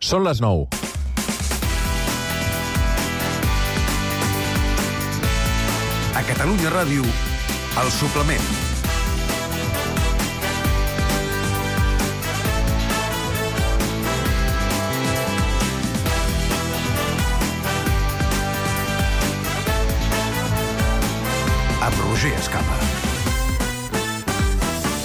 Són les 9. A Catalunya Ràdio, El Suplement. Amb Roger Escapa.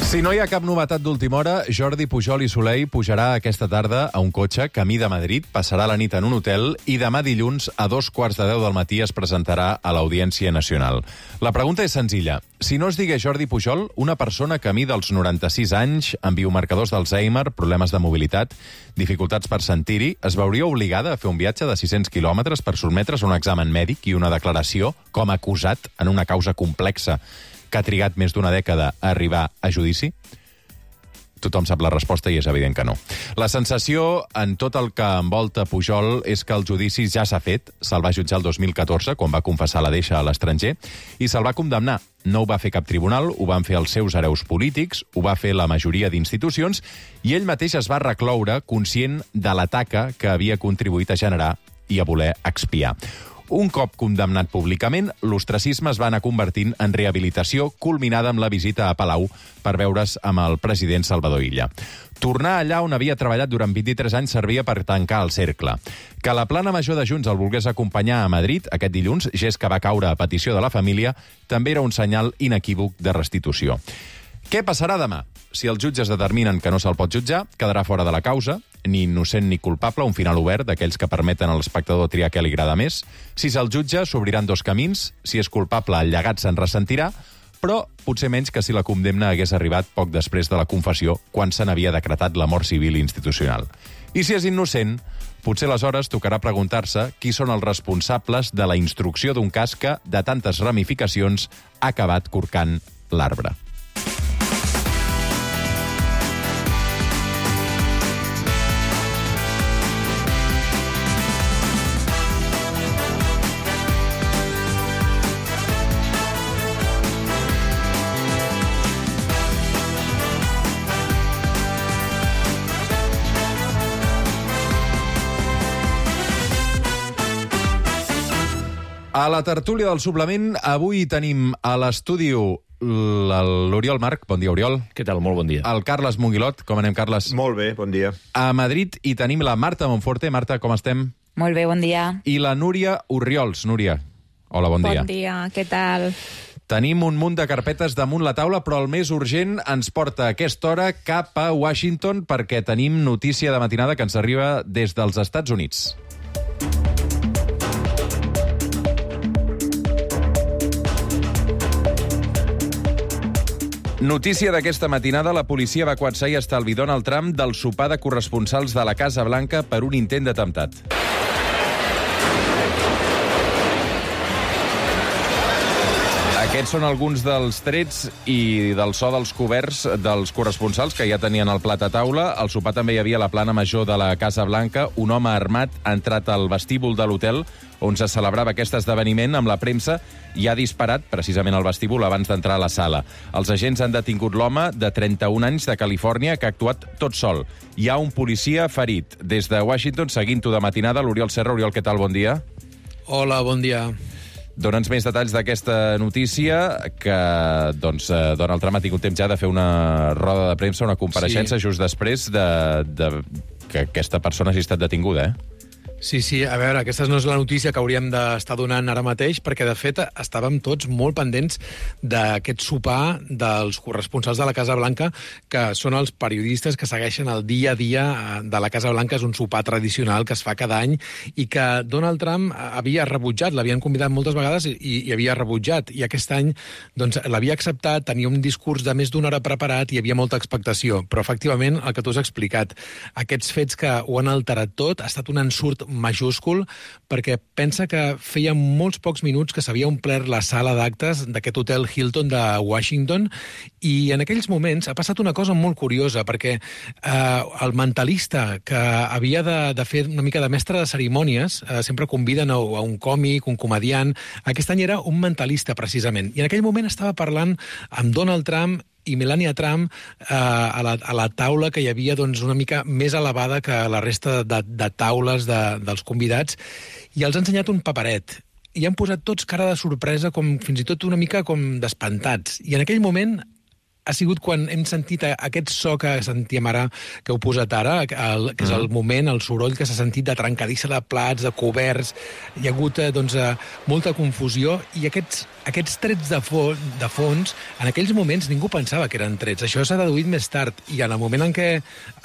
Si no hi ha cap novetat d'última hora, Jordi Pujol i Soleil pujarà aquesta tarda a un cotxe camí de Madrid, passarà la nit en un hotel i demà dilluns a 2:15 del matí es presentarà a l'Audiència Nacional. La pregunta és senzilla. Si no es digués Jordi Pujol, una persona camí dels 96 anys, amb biomarcadors d'Alzheimer, problemes de mobilitat, dificultats per sentir-hi, es veuria obligada a fer un viatge de 600 quilòmetres per sotmetre's a un examen mèdic i una declaració com a acusat en una causa complexa que ha trigat més d'una dècada a arribar a judici? Tothom sap la resposta i és evident que no. La sensació en tot el que envolta Pujol és que el judici ja s'ha fet. Se'l va jutjar el 2014, quan va confessar la deixa a l'estranger, i se'l va condemnar. No ho va fer cap tribunal, ho van fer els seus hereus polítics, ho va fer la majoria d'institucions, i ell mateix es va recloure conscient de la taca que havia contribuït a generar i a voler expiar. Un cop condemnat públicament, l'ostracisme es va anar convertint en rehabilitació, culminada amb la visita a Palau per veure's amb el president Salvador Illa. Tornar allà on havia treballat durant 23 anys servia per tancar el cercle. Que la plana major de Junts el volgués acompanyar a Madrid aquest dilluns, gest que va caure a petició de la família, també era un senyal inequívoc de restitució. Què passarà demà? Si els jutges determinen que no se'l pot jutjar, quedarà fora de la causa, ni innocent ni culpable, un final obert d'aquells que permeten a l'espectador triar què li agrada més. Si se'l jutja, s'obriran dos camins. Si és culpable, el llegat se'n ressentirà, però potser menys que si la condemna hagués arribat poc després de la confessió, quan se n'havia decretat la mort civil i institucional. I si és innocent, potser aleshores tocarà preguntar-se qui són els responsables de la instrucció d'un cas que, de tantes ramificacions, ha acabat corcant l'arbre. A la tertúlia del suplement, avui tenim a l'estudi l'Oriol Marc. Bon dia, Oriol. Què tal? Molt bon dia. El Carles Monguilot. Com anem, Carles? Molt bé, bon dia. A Madrid hi tenim la Marta Monforte. Marta, com estem? Molt bé, bon dia. I la Núria Orriols. Núria, hola, bon dia. Bon dia, què tal? Tenim un munt de carpetes damunt la taula, però el més urgent ens porta a aquesta hora cap a Washington perquè tenim notícia de matinada que ens arriba des dels Estats Units. Notícia d'aquesta matinada, la policia va coatzar i estalvi Donald Trump del sopar de corresponsals de la Casa Blanca per un intent d'atemptat. Aquests són alguns dels trets i del so dels coberts dels corresponsals que ja tenien el plat a taula. Al sopar també hi havia la plana major de la Casa Blanca. Un home armat ha entrat al vestíbul de l'hotel on se celebrava aquest esdeveniment amb la premsa i ha disparat precisament al vestíbul abans d'entrar a la sala. Els agents han detingut l'home de 31 anys de Califòrnia que ha actuat tot sol. Hi ha un policia ferit. Des de Washington, seguint-ho de matinada, l'Oriol Serra. Oriol, què tal? Bon dia. Hola, bon dia. Dona'ns més detalls d'aquesta notícia que Donald Trump ha tingut temps ja de fer una roda de premsa, una compareixença just després de que aquesta persona hagi estat detinguda, Sí, a veure, aquesta no és la notícia que hauríem d'estar donant ara mateix, perquè, de fet, estàvem tots molt pendents d'aquest sopar dels corresponsals de la Casa Blanca, que són els periodistes que segueixen el dia a dia de la Casa Blanca. És un sopar tradicional que es fa cada any i que Donald Trump havia rebutjat. L'havien convidat moltes vegades i havia rebutjat. I aquest any l'havia acceptat, tenia un discurs de més d'una hora preparat i hi havia molta expectació. Però, efectivament, el que tu has explicat, aquests fets que ho han alterat tot, ha estat un ensurt majúscul, perquè pensa que feia molts pocs minuts que s'havia omplert la sala d'actes d'aquest hotel Hilton de Washington, i en aquells moments ha passat una cosa molt curiosa, perquè el mentalista que havia de fer una mica de mestre de cerimònies, sempre conviden a un còmic, un comediant, aquest any era un mentalista, precisament, i en aquell moment estava parlant amb Donald Trump i Melania Trump a la taula que hi havia doncs, una mica més elevada que la resta de taules dels convidats, i els ha ensenyat un paperet. I han posat tots cara de sorpresa, com fins i tot una mica com d'espantats. I en aquell moment ha sigut quan hem sentit aquest so que sentíem ara, que heu posat ara, que és el moment, el soroll que s'ha sentit de trencadissa de plats, de coberts. Hi ha hagut molta confusió, i aquests trets de fons, en aquells moments ningú pensava que eren trets. Això s'ha deduït més tard, i en el moment en què,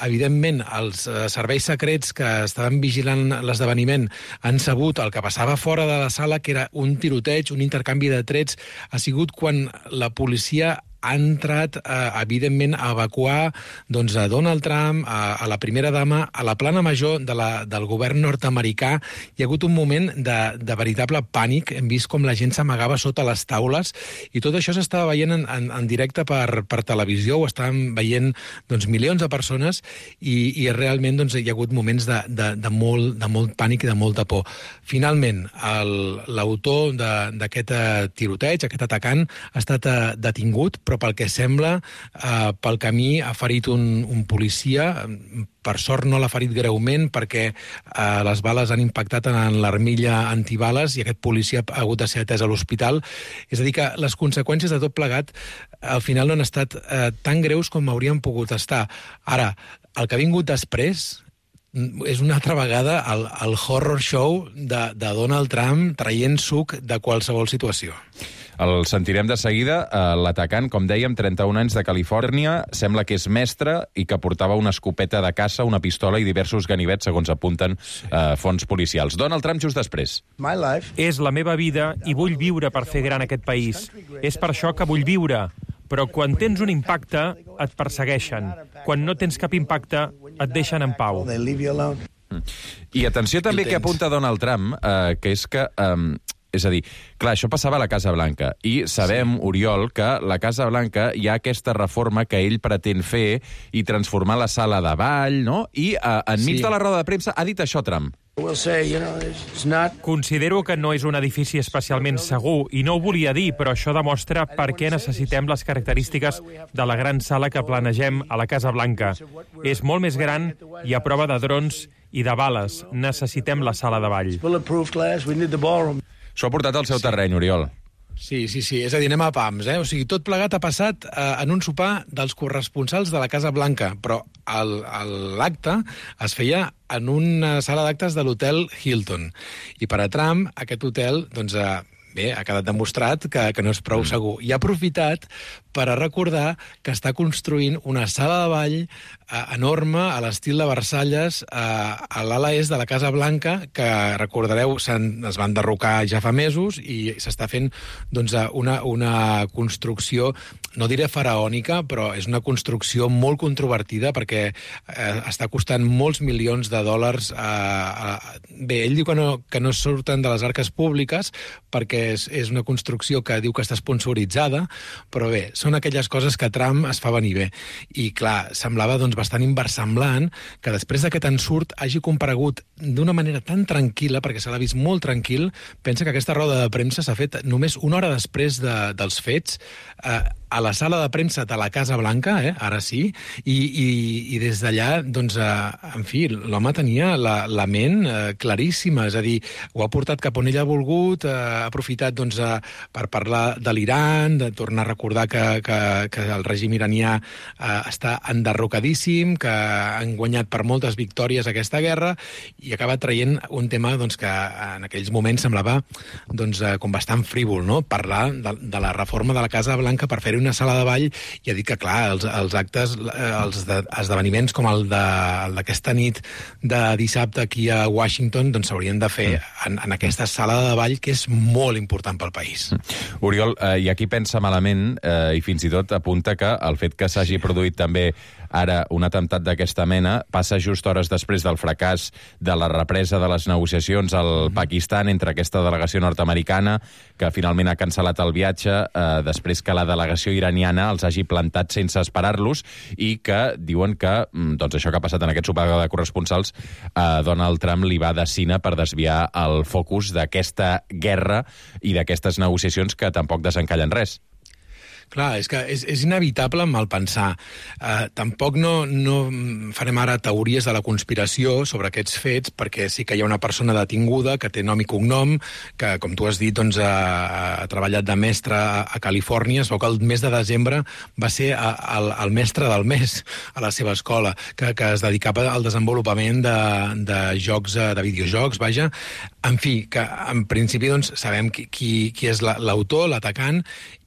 evidentment, els serveis secrets que estaven vigilant l'esdeveniment han sabut el que passava fora de la sala, que era un tiroteig, un intercanvi de trets, ha sigut quan la policia ha entrat, evidentment, a evacuar doncs, a Donald Trump, a la primera dama, a la plana major del govern nord-americà. Hi ha hagut un moment de veritable pànic. Hem vist com la gent s'amagava sota les taules, i tot això s'estava veient en directe per televisió, ho estaven veient doncs, milions de persones, i realment doncs, hi ha hagut moments de molt pànic i de molta por. Finalment, l'autor d'aquest tiroteig, aquest atacant, ha estat detingut, però pel que sembla, pel camí ha ferit un policia. Per sort no l'ha ferit greument, perquè les bales han impactat en l'armilla antibales, i aquest policia ha hagut de ser atès a l'hospital. És a dir, que les conseqüències de tot plegat al final no han estat tan greus com haurien pogut estar. Ara, el que ha vingut després és una altra vegada el horror show de Donald Trump traient suc de qualsevol situació. El sentirem de seguida. L'atacant, com dèiem, 31 anys, de Califòrnia, sembla que és mestre i que portava una escopeta de caça, una pistola i diversos ganivets, segons apunten fonts policials. Donald Trump just després. És la meva vida i vull viure per fer gran aquest país. És per això que vull viure. Però quan tens un impacte, et persegueixen. Quan no tens cap impacte, et deixen en pau. I atenció també que apunta Donald Trump, que és que... És a dir, clar, això passava a la Casa Blanca, i sabem, Oriol, que a la Casa Blanca hi ha aquesta reforma que ell pretén fer i transformar la sala de ball, no? I enmig de la roda de premsa ha dit això, Trump. Considero que no és un edifici especialment segur, i no ho volia dir, però això demostra per què necessitem les característiques de la gran sala que planegem a la Casa Blanca. És molt més gran i a prova de drons i de bales. Necessitem la sala de ball. S'ho ha portat al seu terreny, Oriol. Sí. És a dir, anem a pams, O sigui, tot plegat ha passat en un sopar dels corresponsals de la Casa Blanca, però l'acte es feia en una sala d'actes de l'hotel Hilton. I per a Trump, aquest hotel, doncs, ha quedat demostrat que no és prou segur. I ha aprofitat per a recordar que està construint una sala de ball enorme a l'estil de Versalles a l'ala est de la Casa Blanca, que, recordareu, es van derrocar ja fa mesos, i s'està fent doncs, una construcció, no diré faraònica, però és una construcció molt controvertida, perquè està costant molts milions de dòlars. Bé, ell diu que no surten de les arques públiques, perquè és una construcció que diu que està sponsoritzada, però bé, són aquelles coses que Trump es fa venir bé. I, clar, semblava doncs, bastant inversemblant que després d'aquest ensurt hagi comparegut d'una manera tan tranquil·la, perquè se l'ha vist molt tranquil. Pensa que aquesta roda de premsa s'ha fet només una hora després dels fets, a la sala de premsa de la Casa Blanca, ara sí, i des d'allà, doncs, en fi, l'home tenia la ment claríssima, és a dir, ho ha portat cap on ell ha volgut, ha aprofitat doncs, per parlar de l'Iran, de tornar a recordar que el règim iranià està enderrocadíssim, que han guanyat per moltes victòries aquesta guerra, i acaba traient un tema doncs, que en aquells moments semblava doncs, com bastant frívol, no? Parlar de la reforma de la Casa Blanca per fer-hi una sala de ball, i ha dit que, clar, els actes, els esdeveniments com el d'aquesta nit de dissabte aquí a Washington doncs s'haurien de fer en aquesta sala de ball, que és molt important pel país. Oriol, i aquí pensa malament, i fins i tot apunta que el fet que s'hagi produït també ara un atemptat d'aquesta mena passa just hores després del fracàs de la represa de les negociacions al Pakistan entre aquesta delegació nord-americana, que finalment ha cancel·lat el viatge després que la delegació iraniana els hagi plantat sense esperar-los, i que diuen que doncs això que ha passat en aquest sopar de corresponsals Donald Trump li va de cine per desviar el focus d'aquesta guerra i d'aquestes negociacions que tampoc desencallen res. Clar, és que és inevitable malpensar. Tampoc no farem ara teories de la conspiració sobre aquests fets, perquè sí que hi ha una persona detinguda que té nom i cognom, que, com tu has dit, doncs, ha treballat de mestre a Califòrnia. Es veu que el mes de desembre va ser el mestre del mes a la seva escola, que es dedicava al desenvolupament de jocs, de videojocs, vaja. En fi, que en principi doncs, sabem qui és l'autor, l'atacant,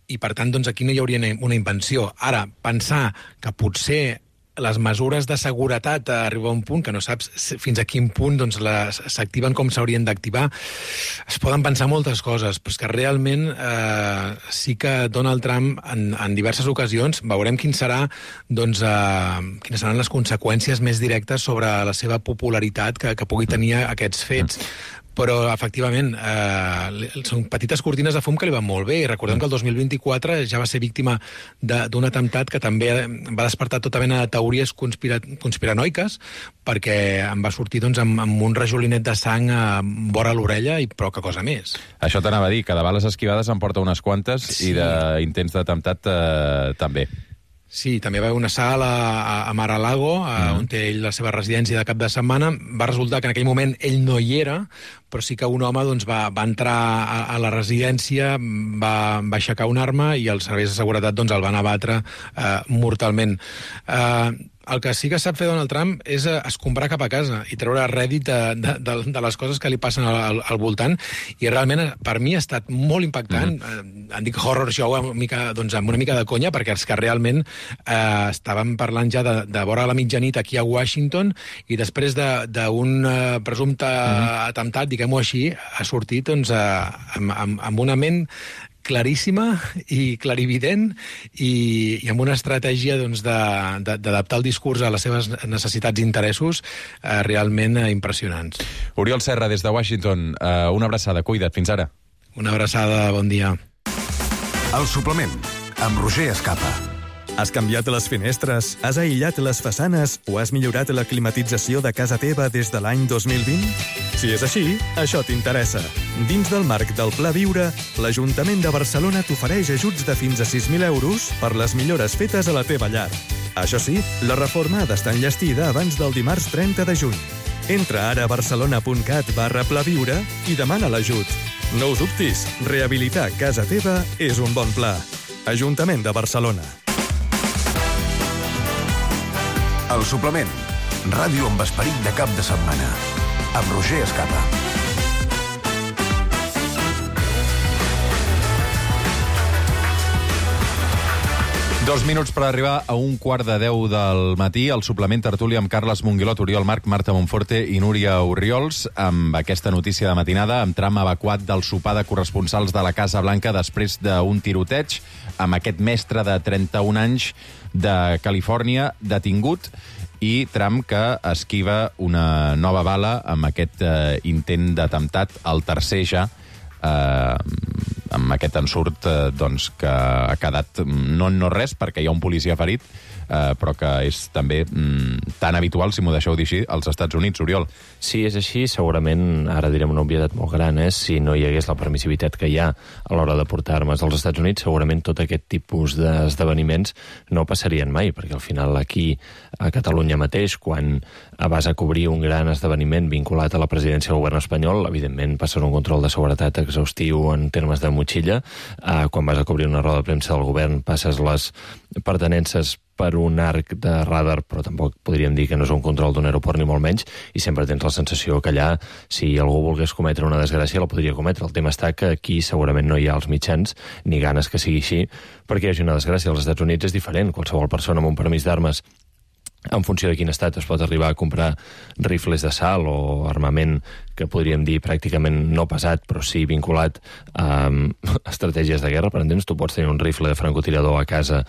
i per tant doncs, aquí no hi hauria una invenció. Ara, pensar que potser les mesures de seguretat arriben a un punt que no saps fins a quin punt doncs, s'activen com s'haurien d'activar. Es poden pensar moltes coses, però és que realment sí que Donald Trump en diverses ocasions veurem quines seran les conseqüències més directes sobre la seva popularitat que pugui tenir aquests fets. Però, efectivament, són petites cortines de fum que li van molt bé. I recordem que el 2024 ja va ser víctima d'un atemptat que també va despertar tota mena de teories conspiranoiques, perquè em va sortir doncs, amb un rajolinet de sang vora l'orella i poca cosa més. Això t'anava a dir, que de bales esquivades en porta unes quantes, sí. I d'intents d'atemptat també. Sí, també va haver un assalt a Mar-a-Lago, on té ell la seva residència de cap de setmana. Va resultar que en aquell moment ell no hi era, però sí que un home doncs, va entrar a la residència, va aixecar una arma i els serveis de seguretat doncs, el van abatre mortalment. El que sí que sap fer Donald Trump és escombrar cap a casa i treure rèdit de les coses que li passen al voltant, i realment per mi ha estat molt impactant. En dic horror show amb una mica de conya, perquè els que realment estàvem parlant ja de vora la mitjanit aquí a Washington, i després d'un presumpte atemptat, diguem-ho així, ha sortit doncs, amb una ment claríssima i clarivident i amb una estratègia doncs, d'adaptar el discurs a les seves necessitats i interessos realment impressionants. Oriol Serra, des de Washington, una abraçada, cuida't, fins ara. Una abraçada, bon dia. El suplement, amb Roger Escapa. Has canviat les finestres, has aïllat les façanes o has millorat la climatització de casa teva des de l'any 2020? Si és així, això t'interessa. Dins del marc del Pla Viure, l'Ajuntament de Barcelona t'ofereix ajuts de fins a 6.000 euros per les millores fetes a la teva llar. Això sí, la reforma ha d'estar enllestida abans del dimarts 30 de juny. Entra ara a barcelona.cat/plaviure i demana l'ajut. No ho dubtis, rehabilitar casa teva és un bon pla. Ajuntament de Barcelona. El suplement, ràdio amb esperit de cap de setmana, amb Roger Escapa. Dos minuts per arribar a 9:15 del matí, el suplement tertúlia amb Carles Monguilot, Oriol Marc, Marta Monforte i Núria Orriols, amb aquesta notícia de matinada, amb tram evacuat del sopar de corresponsals de la Casa Blanca després d'un tiroteig, amb aquest mestre de 31 anys de Califòrnia detingut, i Trump que esquiva una nova bala amb aquest intent d'atemptat, el tercer ja, amb aquest ensurt doncs, que ha quedat no res, perquè hi ha un policia ferit, però que és també tan habitual, si m'ho deixeu dir així, als Estats Units, Oriol. Sí, és així. Segurament, ara direm una obvietat molt gran, si no hi hagués la permissivitat que hi ha a l'hora de portar armes als Estats Units, segurament tot aquest tipus d'esdeveniments no passarien mai, perquè al final aquí, a Catalunya mateix, quan vas a cobrir un gran esdeveniment vinculat a la presidència del govern espanyol, evidentment passes un control de seguretat exhaustiu en termes de motxilla. Quan vas a cobrir una roda de premsa del govern, passes les pertinences per un arc de radar, però tampoc podríem dir que no és un control d'un aeroport ni molt menys, i sempre tens la sensació que allà, si algú volgués cometre una desgràcia, la podria cometre. El tema està que aquí segurament no hi ha els mitjans, ni ganes que sigui així, perquè hi hagi una desgràcia. Als Estats Units és diferent. Qualsevol persona amb un permís d'armes, en funció de quin estat, es pot arribar a comprar rifles d'assalt o armament que podríem dir pràcticament no pesat, però sí vinculat a estratègies de guerra. Per entendre'ns, tu pots tenir un rifle de francotirador a casa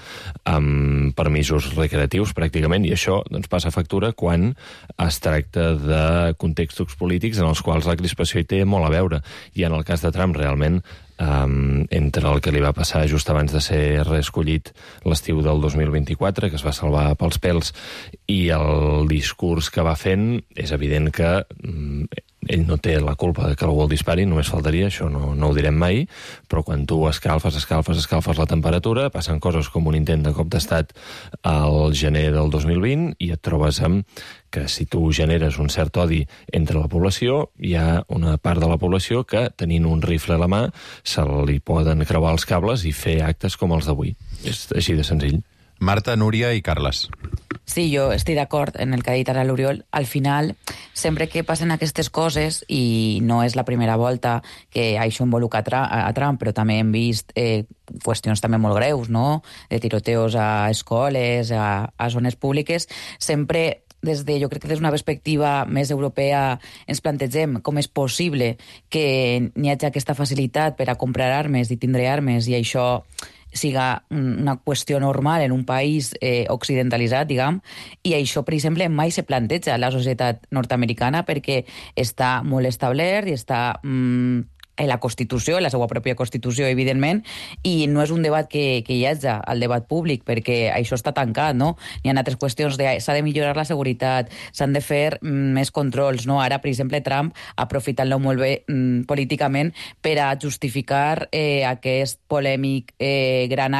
amb permisos recreatius, pràcticament, i això doncs, passa factura quan es tracta de contextos polítics en els quals la crispació hi té molt a veure. I en el cas de Trump, realment, entre el que li va passar just abans de ser reescollit l'estiu del 2024, que es va salvar pels pèls, i el discurs que va fent, és evident que ell no té la culpa de que algú el dispari, només faltaria, això no ho direm mai, però quan tu escalfes la temperatura, passen coses com un intent de cop d'estat al gener del 2020 i et trobes amb que si tu generes un cert odi entre la població, hi ha una part de la població que, tenint un rifle a la mà, se li poden creuar els cables i fer actes com els d'avui. És així de senzill. Marta, Núria i Carles. Sí, jo estic d'acord en el que ha dit ara l'Oriol. Al final, sempre que passen aquestes coses, i no és la primera volta que això involucra a Trump, però també hem vist qüestions també molt greus, no?, de tiroteos a escoles, a zones públiques, sempre jo crec que des d'una perspectiva més europea ens plantegem com és possible que n'hi hagi aquesta facilitat per a comprar armes i tindre armes, i això siga una qüestió normal en un país occidentalitzat, diguem, i això, per exemple, mai se planteja a la societat nord-americana perquè està molt establert i està en la Constitució, en la seva pròpia Constitució, evidentment, i no és un debat que hi hagi al debat públic, perquè això està tancat, no? Hi ha altres qüestions s'ha de millorar la seguretat, s'han de fer més controls, no? Ara, per exemple, Trump, aprofitant-lo molt bé políticament per a justificar aquest polèmic gran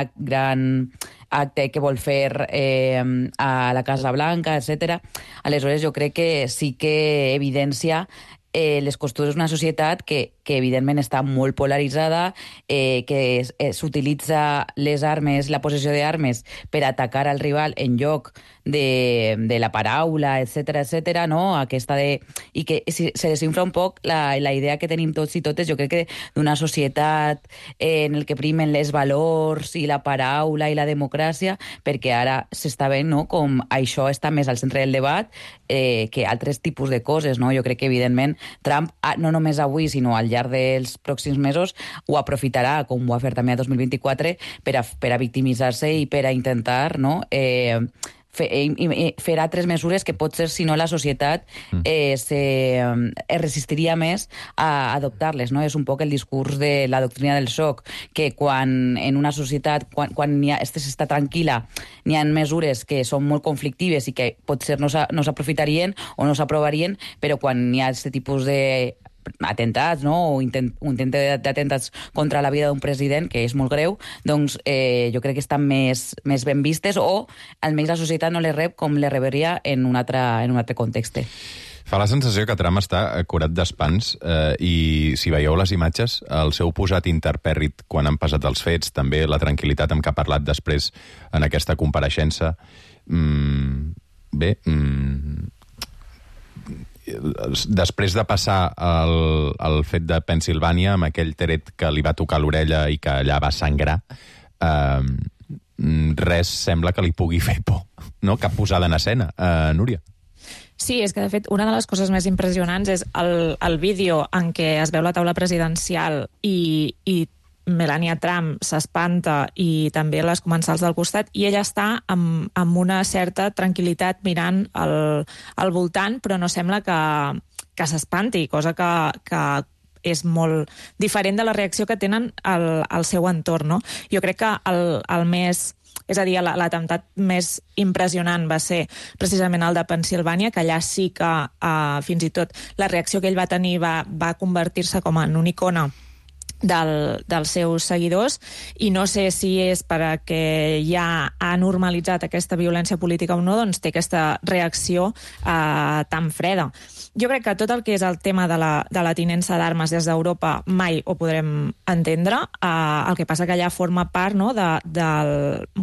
acte que vol fer a la Casa Blanca, etc. Aleshores, jo crec que sí que evidencia les costures d'una societat que evidentment està molt polaritzada, que s'utilitza les armes, la possessió d'armes, per atacar al rival en lloc de la paraula, etc., no? I que se desinfla un poc la idea que tenim tots i totes, jo crec que d'una societat en el que primen les valors i la paraula i la democràcia, perquè ara s'està veient, no?, com això està més al centre del debat que altres tipus de coses, no? Jo crec que, evidentment, Trump, no només avui, sinó al llarg dels pròxims mesos, ho aprofitarà, com ho va fer també a 2024, per a victimitzar-se i per a intentar, no?, fer altres mesures que potser, si no, la societat es resistiria més a adoptar-les, no? És un poc el discurs de la doctrina del xoc, que quan en una societat, quan s'està tranquil·la, n'hi ha mesures que són molt conflictives i que potser no s'aprofitarien o no s'aprovarien, però quan hi ha aquest tipus de atentats, no?, o intent d'atemptats contra la vida d'un president, que és molt greu, doncs jo crec que estan més ben vistes, o almenys la societat no les rep com les reberia en un altre context. Fa la sensació que Trump està curat d'espans i si veieu les imatges, el seu posat interpèrrit quan han passat els fets, també la tranquil·litat amb què ha parlat després en aquesta compareixença, després de passar el fet de Pennsilvània amb aquell tret que li va tocar l'orella i que allà va sangrar, res sembla que li pugui fer por, no? Cap posada en escena. Núria? Sí, és que, de fet, una de les coses més impressionants és el vídeo en què es veu la taula presidencial i Melania Trump s'espanta i també les comensals del costat, i ella està amb una certa tranquil·litat mirant al voltant, però no sembla que s'espanti, cosa que és molt diferent de la reacció que tenen al seu entorn, no? Jo crec que el més... És a dir, l'atemptat més impressionant va ser precisament el de Pennsilvània, que allà sí que fins i tot la reacció que ell va tenir va convertir-se com en una icona dels seus seguidors, i no sé si és perquè ja ha normalitzat aquesta violència política o no, doncs té aquesta reacció tan freda. Jo crec que tot el que és el tema de la tinença d'armes des d'Europa mai ho podrem entendre. El que passa que allà forma part, no,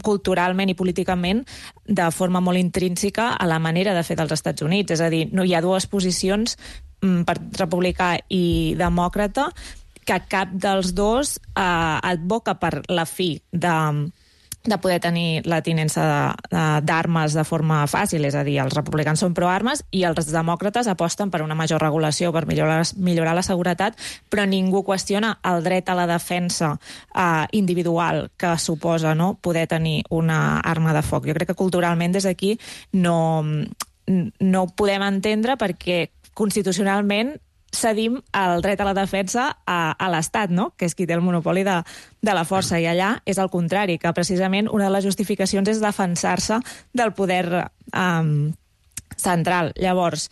culturalment i políticament de forma molt intrínseca a la manera de fer dels Estats Units. És a dir, no hi ha dues posicions, republicà i demòcrata, que cap dels dos advoca per la fi de poder tenir la tinença d'armes de forma fàcil. És a dir, els republicans són pro-armes i els demòcrates aposten per una major regulació, per millorar la seguretat, però ningú qüestiona el dret a la defensa individual que suposa, no, poder tenir una arma de foc. Jo crec que culturalment des d'aquí no ho podem entendre, perquè constitucionalment cedim el dret a la defensa a l'Estat, no?, que és qui té el monopoli de la força, i allà és el contrari, que precisament una de les justificacions és defensar-se del poder central. Llavors,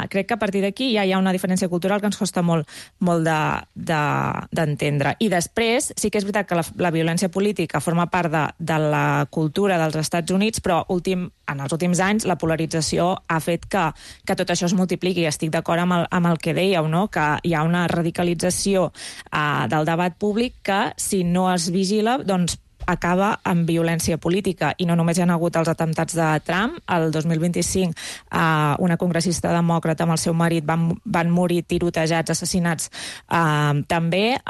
crec que a partir d'aquí ja hi ha una diferència cultural que ens costa molt d'entendre. I després, sí que és veritat que la violència política forma part de la cultura dels Estats Units, però en els últims anys la polarització ha fet que tot això es multipliqui. Estic d'acord amb el que dèieu, no? Que hi ha una radicalització del debat públic que, si no es vigila, doncs acaba amb violència política. I no només hi ha hagut els atemptats de Trump. El 2025 una congressista demòcrata amb el seu marit van morir tirotejats, assassinats. També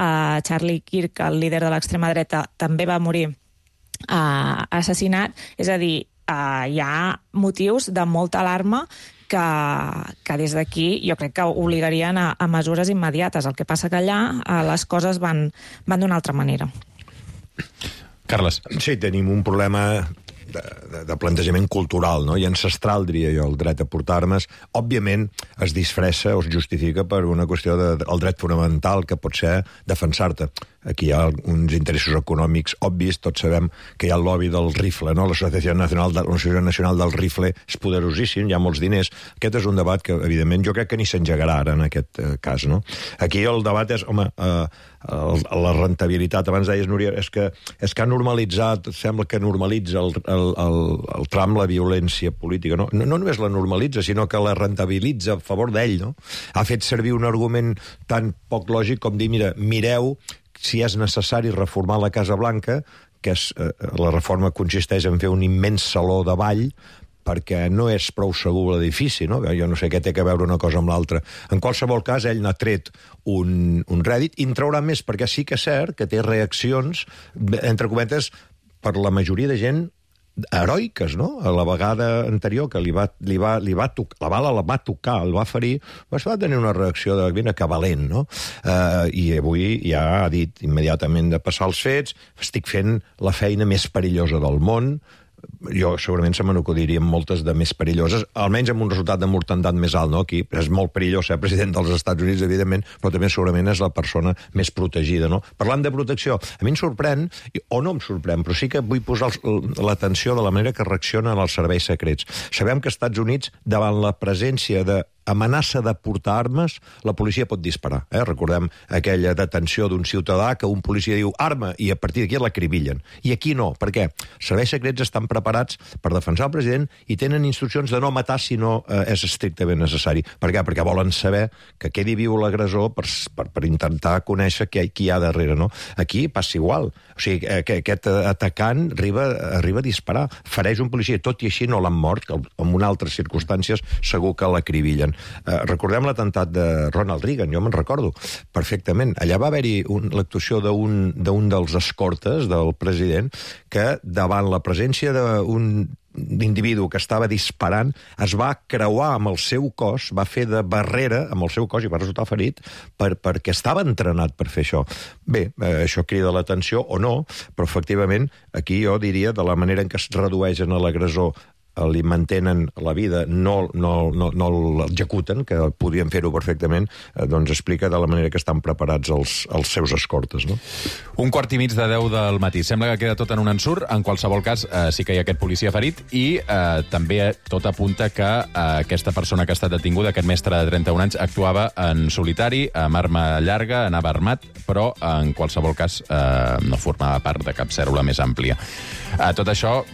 Charlie Kirk, el líder de l'extrema dreta, també va morir assassinat. És a dir, hi ha motius de molta alarma que des d'aquí jo crec que obligarien a mesures immediates. El que passa que allà les coses van d'una altra manera. Carles. Sí, tenim un problema de plantejament cultural, no? I ancestral, diria jo, el dret a portar armes. Òbviament es disfressa o es justifica per una qüestió del dret fonamental, que pot ser defensar-te. Aquí hi ha uns interessos econòmics obvis, tots sabem que hi ha el lobby del rifle, no? L'Associació Nacional del Rifle és poderosíssim, hi ha molts diners. Aquest és un debat que, evidentment, jo crec que ni s'engegarà ara en aquest cas, no? Aquí el debat és, home, la rentabilitat. Abans deies, Núria, és que ha normalitzat, sembla que normalitza el Trump la violència política. No només la normalitza, sinó que la rentabilitza a favor d'ell, no? Ha fet servir un argument tan poc lògic com dir, mireu si és necessari reformar la Casa Blanca, que la reforma consisteix en fer un immens saló de ball, perquè no és prou segur l'edifici, no? Jo no sé què té a veure una cosa amb l'altra. En qualsevol cas, ell n'ha tret un rèdit i en traurà més, perquè sí que és cert que té reaccions, entre cometes, per la majoria de gent heroiques, no? A la vegada anterior que la bala la va tocar, el va ferir, va tenir una reacció de mira que valent, no? I avui ja ha dit immediatament de passar els fets, estic fent la feina més perillosa del món. Jo segurament se me n'acudirien moltes de més perilloses, almenys amb un resultat de mortandat més alt, no? Aquí és molt perillós ser president dels Estats Units, evidentment, però també segurament és la persona més protegida, no? Parlant de protecció, a mi em sorprèn, o no em sorprèn, però sí que vull posar l'atenció de la manera que reaccionen els serveis secrets. Sabem que als Estats Units, davant la presència de amenaça de portar armes, la policia pot disparar. Recordem aquella detenció d'un ciutadà que un policia diu arma i a partir d'aquí l'acribillen. I aquí no. Per què? Els serveis secrets estan preparats per defensar el president i tenen instruccions de no matar si no és estrictament necessari. Per què? Perquè volen saber que quedi viu l'agressor per intentar conèixer qui hi ha darrere, no? Aquí passa igual. O sigui, aquest atacant arriba a disparar, fereix un policia, tot i així no l'han mort, que en altres circumstàncies segur que l'acribillen. Recordem l'atemptat de Ronald Reagan, jo me'n recordo perfectament. Allà va haver-hi l'actuació d'un dels escortes del president que, davant la presència d'un individu que estava disparant, es va creuar amb el seu cos, va fer de barrera amb el seu cos i va resultar ferit perquè estava entrenat per fer això. Bé, això crida l'atenció o no, però efectivament aquí jo diria, de la manera en què es redueixen a l'agressor, li mantenen la vida, no l'executen, que podien fer-ho perfectament, doncs explica de la manera que estan preparats els seus escortes, no? 9:15 del matí. Sembla que queda tot en un ensurt. En qualsevol cas, sí que hi ha aquest policia ferit i també tot apunta que aquesta persona que ha estat detinguda, aquest mestre de 31 anys, actuava en solitari, amb arma llarga, anava armat, però en qualsevol cas no formava part de cap cèl·lula més àmplia. Tot això,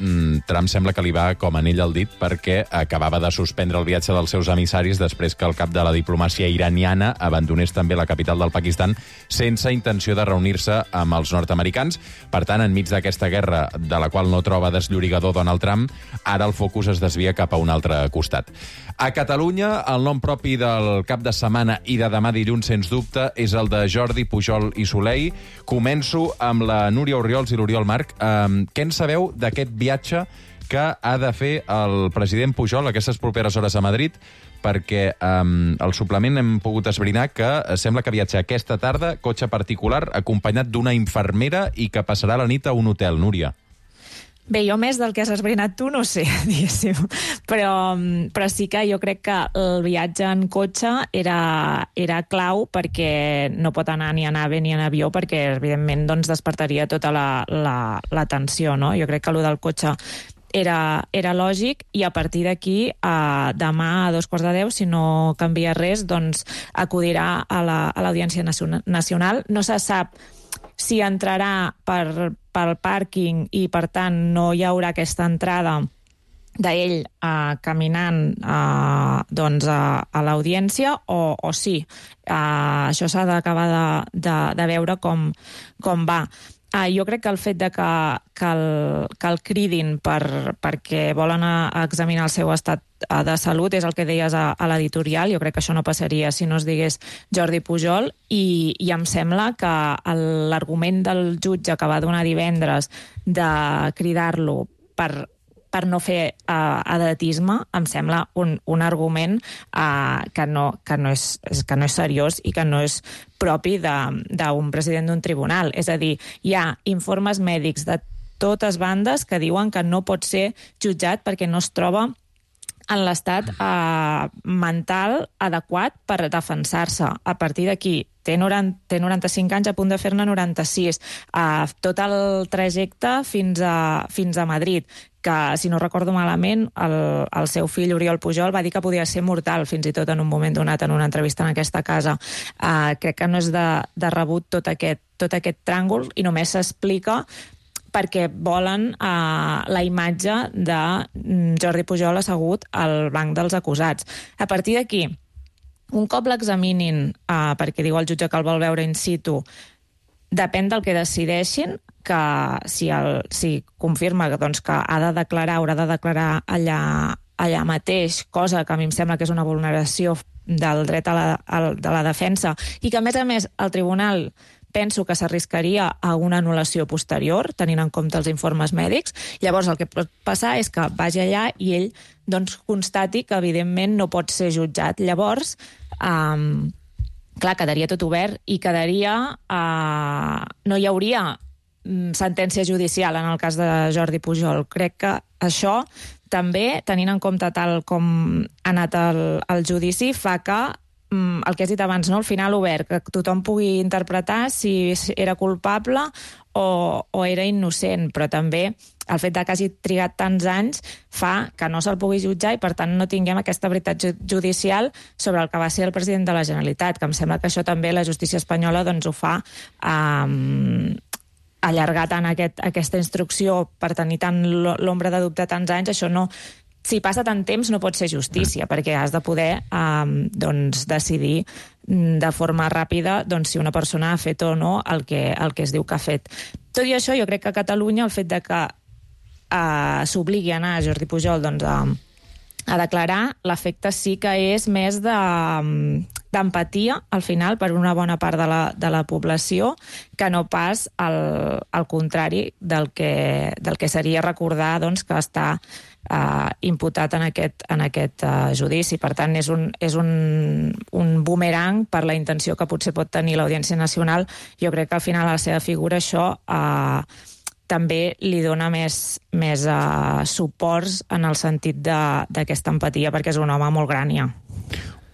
Trump sembla que li va com a anell al dit perquè acabava de suspendre el viatge dels seus emissaris després que el cap de la diplomàcia iraniana abandonés també la capital del Pakistan sense intenció de reunir-se amb els nord-americans. Per tant, enmig d'aquesta guerra de la qual no troba desllorigador Donald Trump, ara el focus es desvia cap a un altre costat. A Catalunya, el nom propi del cap de setmana i de demà dilluns, sens dubte, és el de Jordi Pujol i Soley. Començo amb la Núria Orriols i l'Oriol Marc. Què en sabeu d'aquest viatge que ha de fer el president Pujol aquestes properes hores a Madrid? Perquè al suplement hem pogut esbrinar que sembla que viatja aquesta tarda, cotxe particular, acompanyat d'una infermera i que passarà la nit a un hotel. Núria. Bé, jo més del que has esbrinat tu no sé, diguéssim, però sí que jo crec que el viatge en cotxe era clau perquè no pot anar ni en AVE ni en avió perquè, evidentment, doncs, despertaria tota la tensió, no? Jo crec que allò del cotxe era lògic, i a partir d'aquí, demà a 9:45, si no canvia res, doncs acudirà a l'Audiència Nacional. No se sap si entrarà pel pàrquing i, per tant, no hi haurà aquesta entrada d'ell caminant doncs a l'audiència o sí. Això s'ha d'acabar de veure com va. Jo crec que el fet de que el cridin perquè volen examinar el seu estat de salut és el que deies a l'editorial. Jo crec que això no passaria si no es digués Jordi Pujol, i em sembla que l'argument del jutge que va donar divendres de cridar-lo per no fer edatisme, em sembla un argument que no és seriós i que no és propi d'un president d'un tribunal. És a dir, hi ha informes mèdics de totes bandes que diuen que no pot ser jutjat perquè no es troba en l'estat mental adequat per defensar-se. A partir d'aquí, té 95 anys, a punt de fer-ne 96. Tot el trajecte fins a Madrid, que, si no recordo malament, el seu fill Oriol Pujol va dir que podia ser mortal, fins i tot en un moment donat, en una entrevista en aquesta casa. Crec que no és de rebut tot aquest tràngol, i només s'explica perquè volen la imatge de Jordi Pujol assegut al banc dels acusats. A partir d'aquí, un cop l'examinin, perquè diu el jutge que el vol veure in situ, depèn del que decideixin, que si confirma doncs, que haurà de declarar allà mateix, cosa que a mi em sembla que és una vulneració del dret de la defensa, i que, a més, el tribunal penso que s'arriscaria a una anul·lació posterior, tenint en compte els informes mèdics. Llavors, el que pot passar és que vagi allà i ell doncs, constati que, evidentment, no pot ser jutjat. Llavors, clar, quedaria tot obert i no hi hauria sentència judicial en el cas de Jordi Pujol. Crec que això també, tenint en compte tal com ha anat el judici, fa que el que has dit abans, no? Al final obert, que tothom pugui interpretar si era culpable o era innocent, però també el fet que hagi trigat tants anys fa que no se'l pugui jutjar i, per tant, no tinguem aquesta veritat judicial sobre el que va ser el president de la Generalitat, que em sembla que això també la justícia espanyola doncs, ho fa allargar tant aquesta instrucció per tenir tant l'ombra de dubte tants anys. Això no... Si passa tant temps no pot ser justícia, perquè has de poder decidir de forma ràpida si una persona ha fet o no el que es diu que ha fet. Tot i això, jo crec que a Catalunya el fet de que s'obligui a anar a Jordi Pujol a declarar, l'efecte sí que és més d'empatia, al final, per una bona part de la població, que no pas al contrari del que seria recordar que està imputat en aquest judici. Per tant, és un bumerang per la intenció que potser pot tenir l'Audiència Nacional. Jo crec que al final a la seva figura això també li dona més suports en el sentit d'aquesta empatia, perquè és un home molt gran ja.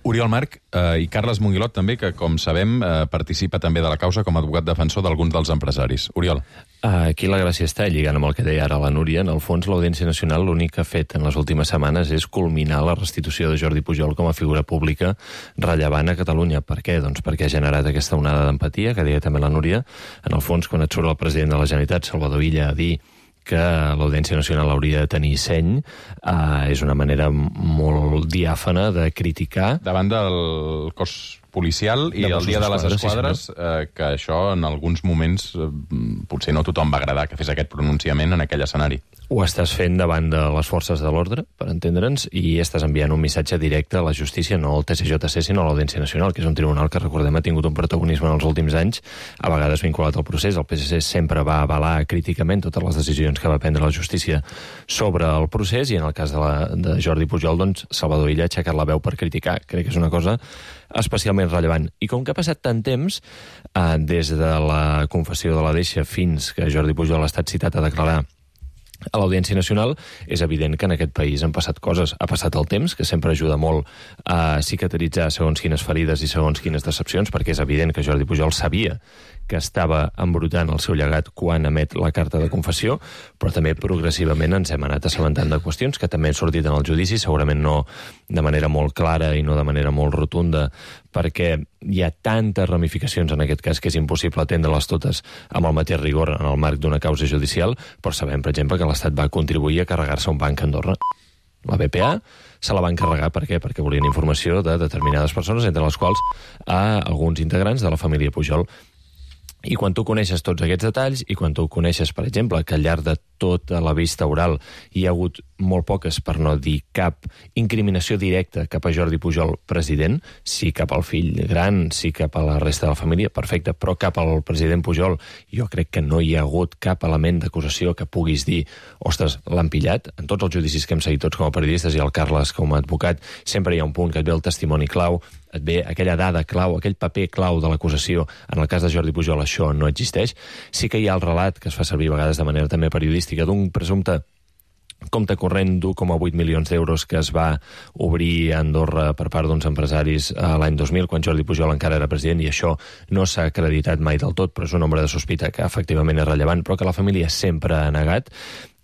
Oriol March i Carles Monguilot també, que com sabem participa també de la causa com a advocat defensor d'alguns dels empresaris. Oriol. Aquí la gràcia està, lligant amb el que deia ara la Núria, en el fons l'Audiència Nacional l'únic que ha fet en les últimes setmanes és culminar la restitució de Jordi Pujol com a figura pública rellevant a Catalunya. Per què? Doncs perquè ha generat aquesta onada d'empatia, que deia també la Núria. En el fons, quan et surt el president de la Generalitat, Salvador Illa, a dir que l'Audiència Nacional hauria de tenir seny, és una manera molt diàfana de criticar. Davant del cos policial i el dia de les esquadres, que això en alguns moments potser no tothom va agradar que fes aquest pronunciament en aquell escenari. Ho estàs fent davant de les forces de l'ordre, per entendre'ns, i estàs enviant un missatge directe a la justícia, no al TSJC, sinó a l'Audiència Nacional, que és un tribunal que, recordem, ha tingut un protagonisme en els últims anys, a vegades vinculat al procés. El PSC sempre va avalar críticament totes les decisions que va prendre la justícia sobre el procés, i en el cas de Jordi Pujol, doncs, Salvador Illa ha aixecat la veu per criticar. Crec que és una cosa especialment rellevant. I com que ha passat tant temps, des de la confessió de la Deixa fins que Jordi Pujol ha estat citat a declarar a l'Audiència Nacional, és evident que en aquest país han passat coses. Ha passat el temps, que sempre ajuda molt a cicatritzar segons quines ferides i segons quines decepcions, perquè és evident que Jordi Pujol sabia que estava embrutant el seu llegat quan emet la carta de confessió, però també progressivament ens hem anat assabentant de qüestions que també han sortit en el judici, segurament no de manera molt clara i no de manera molt rotunda, perquè hi ha tantes ramificacions en aquest cas que és impossible atendre-les totes amb el mateix rigor en el marc d'una causa judicial, però sabem, per exemple, que l'Estat va contribuir a carregar-se un banc a Andorra. La BPA se la va encarregar, per què? Perquè volien informació de determinades persones, entre les quals alguns integrants de la família Pujol. I quan tu coneixes tots aquests detalls, i quan tu coneixes, per exemple, que al llarg de tota la vista oral hi ha hagut molt poques, per no dir cap, incriminació directa cap a Jordi Pujol president, sí cap al fill gran, sí cap a la resta de la família, perfecte, però cap al president Pujol jo crec que no hi ha hagut cap element d'acusació que puguis dir, ostres, l'han pillat. En tots els judicis que hem seguit tots com a periodistes i el Carles com a advocat, sempre hi ha un punt que et ve el testimoni clau, et ve aquella dada clau, aquell paper clau de l'acusació. En el cas de Jordi Pujol això no existeix. Sí que hi ha el relat, que es fa servir a vegades de manera també periodística, d'un presumpte compte corrent d'1,8 milions d'euros que es va obrir a Andorra per part d'uns empresaris l'any 2000, quan Jordi Pujol encara era president, i això no s'ha acreditat mai del tot, però és un nombre de sospita que efectivament és rellevant, però que la família sempre ha negat.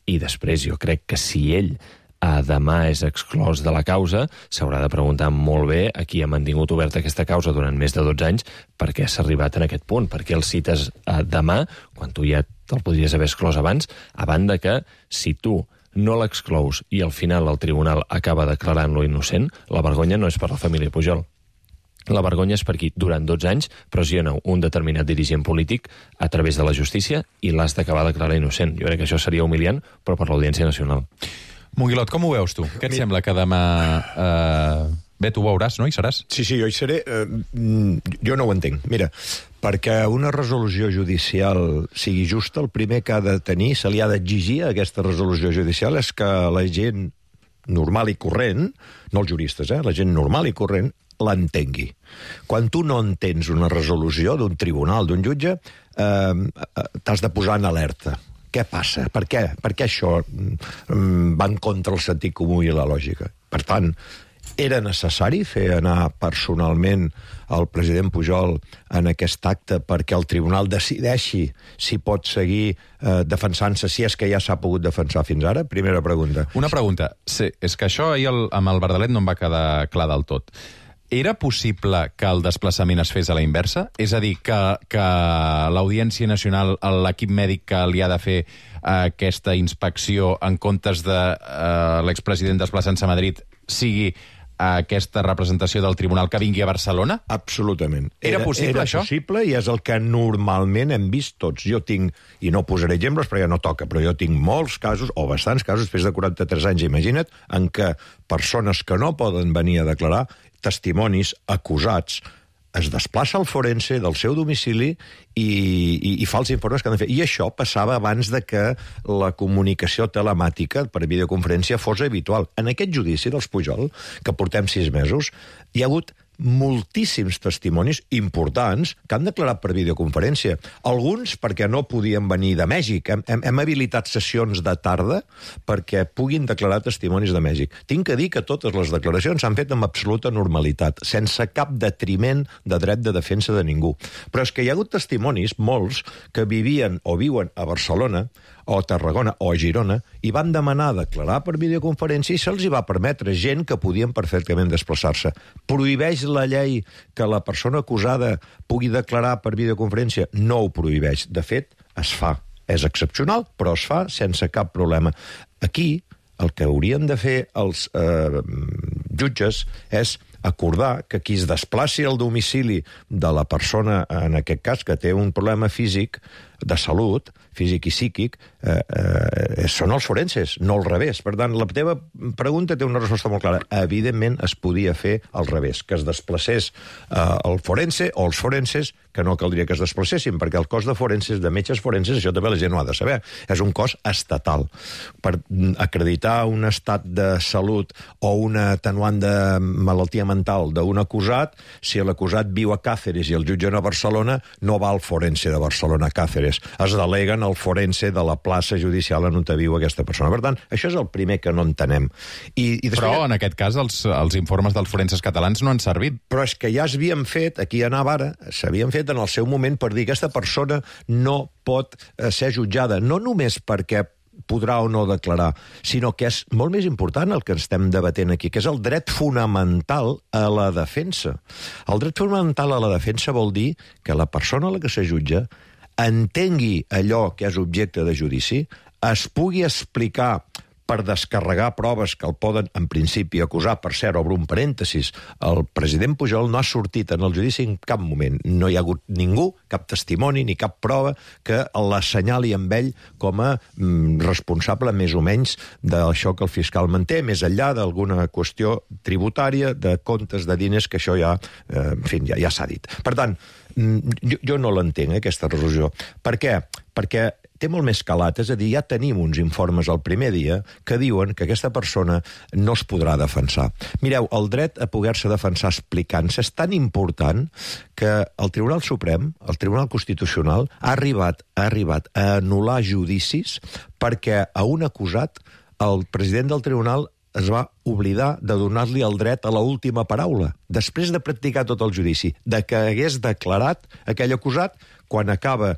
I després jo crec que si ell demà és exclòs de la causa, s'haurà de preguntar molt bé a qui ha mantingut oberta aquesta causa durant més de 12 anys, per què s'ha arribat en aquest punt, per què el cites demà, quan tu ja te'l podries haver exclòs abans, a banda que si tu no l'exclous i al final el tribunal acaba declarant-lo innocent, la vergonya no és per la família Pujol. La vergonya és per qui durant 12 anys pressiona un determinat dirigent polític a través de la justícia i l'has d'acabar declarar innocent. Jo crec que això seria humiliant, però per l'Audiència Nacional. Monguilot, com ho veus tu? Què et sembla que demà... Bé, tu ho veuràs, no? Hi seràs? Sí, jo hi seré. Jo no ho entenc. Mira, perquè una resolució judicial sigui justa, el primer que ha de tenir, se li ha d'exigir a aquesta resolució judicial, és que la gent normal i corrent, no els juristes, la gent normal i corrent, l'entengui. Quan tu no entens una resolució d'un tribunal, d'un jutge, t'has de posar en alerta. Què passa? Per què això va en contra el sentit comú i la lògica? Per tant, era necessari fer anar personalment el president Pujol en aquest acte perquè el tribunal decideixi si pot seguir defensant-se, si és que ja s'ha pogut defensar fins ara? Primera pregunta. Una pregunta. Sí, és que això ahir amb el Verdalet no em va quedar clar del tot. Era possible que el desplaçament es fes a la inversa? És a dir, que l'Audiència Nacional, l'equip mèdic que li ha de fer aquesta inspecció en comptes de l'expresident desplaçant-se a Madrid sigui aquesta representació del tribunal que vingui a Barcelona? Absolutament. Era possible, això? Era possible i és el que normalment hem vist tots. Jo tinc, i no posaré exemples perquè no toca, però jo tinc molts casos, o bastants casos, després de 43 anys, imagina't, en què persones que no poden venir a declarar, testimonis acusats, es desplaça al forense del seu domicili i fa els informes que han de fer. I això passava abans de que la comunicació telemàtica per videoconferència fos habitual. En aquest judici dels Pujol, que portem 6 mesos, hi ha hagut moltíssims testimonis importants que han declarat per videoconferència. Alguns perquè no podien venir de Mèxic. Hem habilitat sessions de tarda perquè puguin declarar testimonis de Mèxic. Tinc que dir que totes les declaracions s'han fet amb absoluta normalitat, sense cap detriment de dret de defensa de ningú. Però és que hi ha hagut testimonis, molts, que vivien o viuen a Barcelona, o a Tarragona o a Girona, i van demanar declarar per videoconferència i se'ls hi va permetre gent que podien perfectament desplaçar-se. Prohibeix la llei que la persona acusada pugui declarar per videoconferència? No ho prohibeix. De fet, es fa. És excepcional, però es fa sense cap problema. Aquí, el que haurien de fer els jutges és acordar que qui es desplaci al domicili de la persona, en aquest cas, que té un problema físic, de salut, físic i psíquic, són els forenses, no al revés. Per tant, la teva pregunta té una resposta molt clara. Evidentment, es podia fer al revés, que es desplacés el forense o els forenses, que no caldria que es desplacessin, perquè el cos de forenses, de metges forenses, això també la gent no ha de saber. És un cos estatal. Per acreditar un estat de salut o una atenuant de malaltia mental d'un acusat, si l'acusat viu a Càceres i el jutgen a Barcelona, no va al forense de Barcelona a Càceres, després. Es deleguen el forense de la plaça judicial on viu aquesta persona. Per tant, això és el primer que no entenem. Però, en aquest cas, els informes dels forenses catalans no han servit. Però és que ja s'havien fet, aquí anava ara, s'havien fet en el seu moment per dir que aquesta persona no pot ser jutjada, no només perquè podrà o no declarar, sinó que és molt més important el que estem debatent aquí, que és el dret fonamental a la defensa. El dret fonamental a la defensa vol dir que la persona a la que se jutja entengui allò que és objecte de judici, es pugui explicar per descarregar proves que el poden, en principi, acusar. Per cert, obro un parèntesis, el president Pujol no ha sortit en el judici en cap moment. No hi ha hagut ningú, cap testimoni ni cap prova que l'assenyali amb ell com a responsable més o menys d'això que el fiscal manté, més enllà d'alguna qüestió tributària, de comptes de diners, que això ja, en fi, ja s'ha dit. Per tant, jo no l'entenc, aquesta resolució. Per què? Perquè té molt més calat, és a dir, ja tenim uns informes el primer dia que diuen que aquesta persona no es podrà defensar. Mireu, el dret a poder-se defensar explicant-se és tan important que el Tribunal Suprem, el Tribunal Constitucional, ha arribat a anul·lar judicis perquè a un acusat el president del tribunal es va oblidar de donar-li el dret a l'última paraula, després de practicar tot el judici, de que hagués declarat aquell acusat quan acaba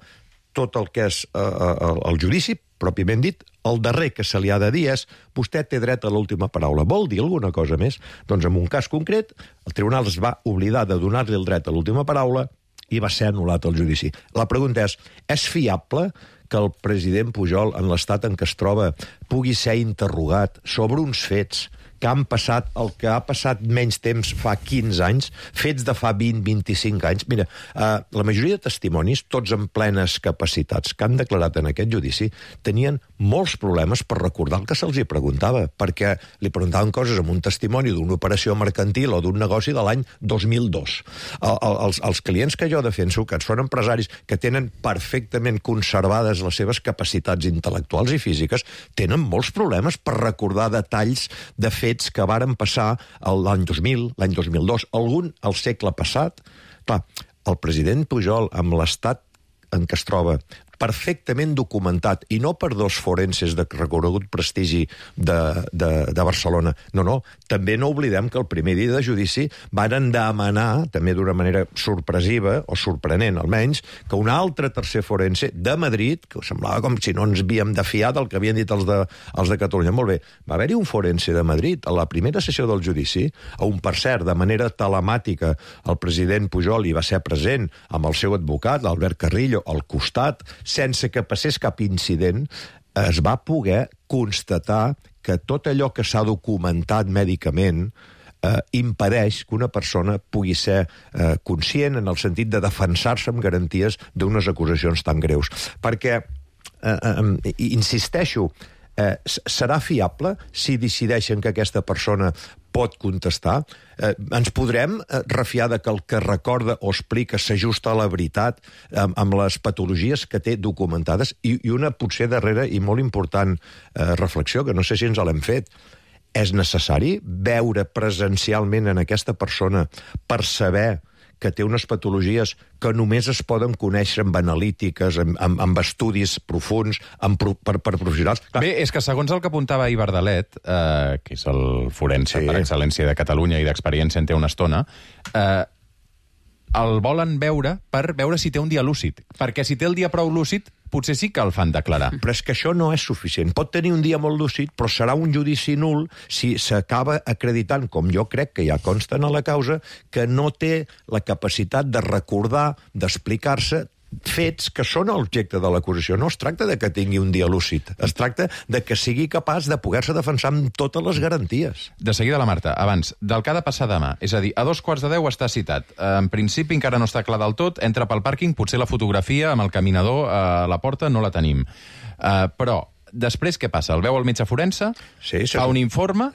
tot el que és el judici, pròpiament dit, el darrer que se li ha de dir és vostè té dret a l'última paraula. Vol dir alguna cosa més? Doncs en un cas concret, el tribunal es va oblidar de donar-li el dret a l'última paraula i va ser anul·lat el judici. La pregunta és fiable que el president Pujol, en l'estat en què es troba, pugui ser interrogat sobre uns fets que han passat el que ha passat menys temps fa 15 anys, fets de fa 20-25 anys. Mira, la majoria de testimonis, tots en plenes capacitats, que han declarat en aquest judici, tenien molts problemes per recordar el que se'ls hi preguntava, perquè li preguntaven coses amb un testimoni d'una operació mercantil o d'un negoci de l'any 2002. Els clients que jo defenso, que són empresaris que tenen perfectament conservades les seves capacitats intel·lectuals i físiques, tenen molts problemes per recordar detalls de fets que varen passar l'any 2000, l'any 2002, algun al segle passat. Clar, el president Pujol, amb l'estat en què es troba, perfectament documentat, i no per dos forenses de reconegut prestigi de Barcelona. No, també no oblidem que el primer dia de judici varen demanar, també d'una manera sorpresiva, o sorprenent almenys, que un altre tercer forense de Madrid, que semblava com si no ens havíem de fiar del que havien dit els de Catalunya. Molt bé, va haver-hi un forense de Madrid a la primera sessió del judici, on, per cert, de manera telemàtica, el president Pujol hi va ser present amb el seu advocat, l'Albert Carrillo, al costat, sense que passés cap incident, es va poder constatar que tot allò que s'ha documentat mèdicament impedeix que una persona pugui ser conscient en el sentit de defensar-se amb garanties d'unes acusacions tan greus. Perquè, insisteixo, serà fiable si decideixen que aquesta persona pot contestar? Ens podrem refiar de que el que recorda o explica s'ajusta a la veritat amb les patologies que té documentades? I una potser darrera i molt important reflexió, que no sé si ens l'hem fet. És necessari veure presencialment en aquesta persona per saber que té unes patologies que només es poden conèixer amb analítiques, amb estudis profuns, per professionals. Bé, és que segons el que apuntava Ibar Dalet, que és el forense per excel·lència de Catalunya i d'experiència en té una estona, el volen veure per veure si té un dia lúcid. Perquè si té el dia prou lúcid, potser sí que el fan declarar. Però és que això no és suficient. Pot tenir un dia molt lúcid, però serà un judici nul si s'acaba acreditant, com jo crec que ja consta en la causa, que no té la capacitat de recordar, d'explicar-se fets que són l'objecte de l'acusació. No es tracta de que tingui un dia lúcid, es tracta de que sigui capaç de poder-se defensar amb totes les garanties. De seguida la Marta, abans, del que ha de passar demà, és a dir, a 2:15 està citat. En principi encara no està clar del tot, entra pel pàrquing, potser la fotografia amb el caminador a la porta no la tenim. Però després què passa? El veu el metge forense, fa un informe,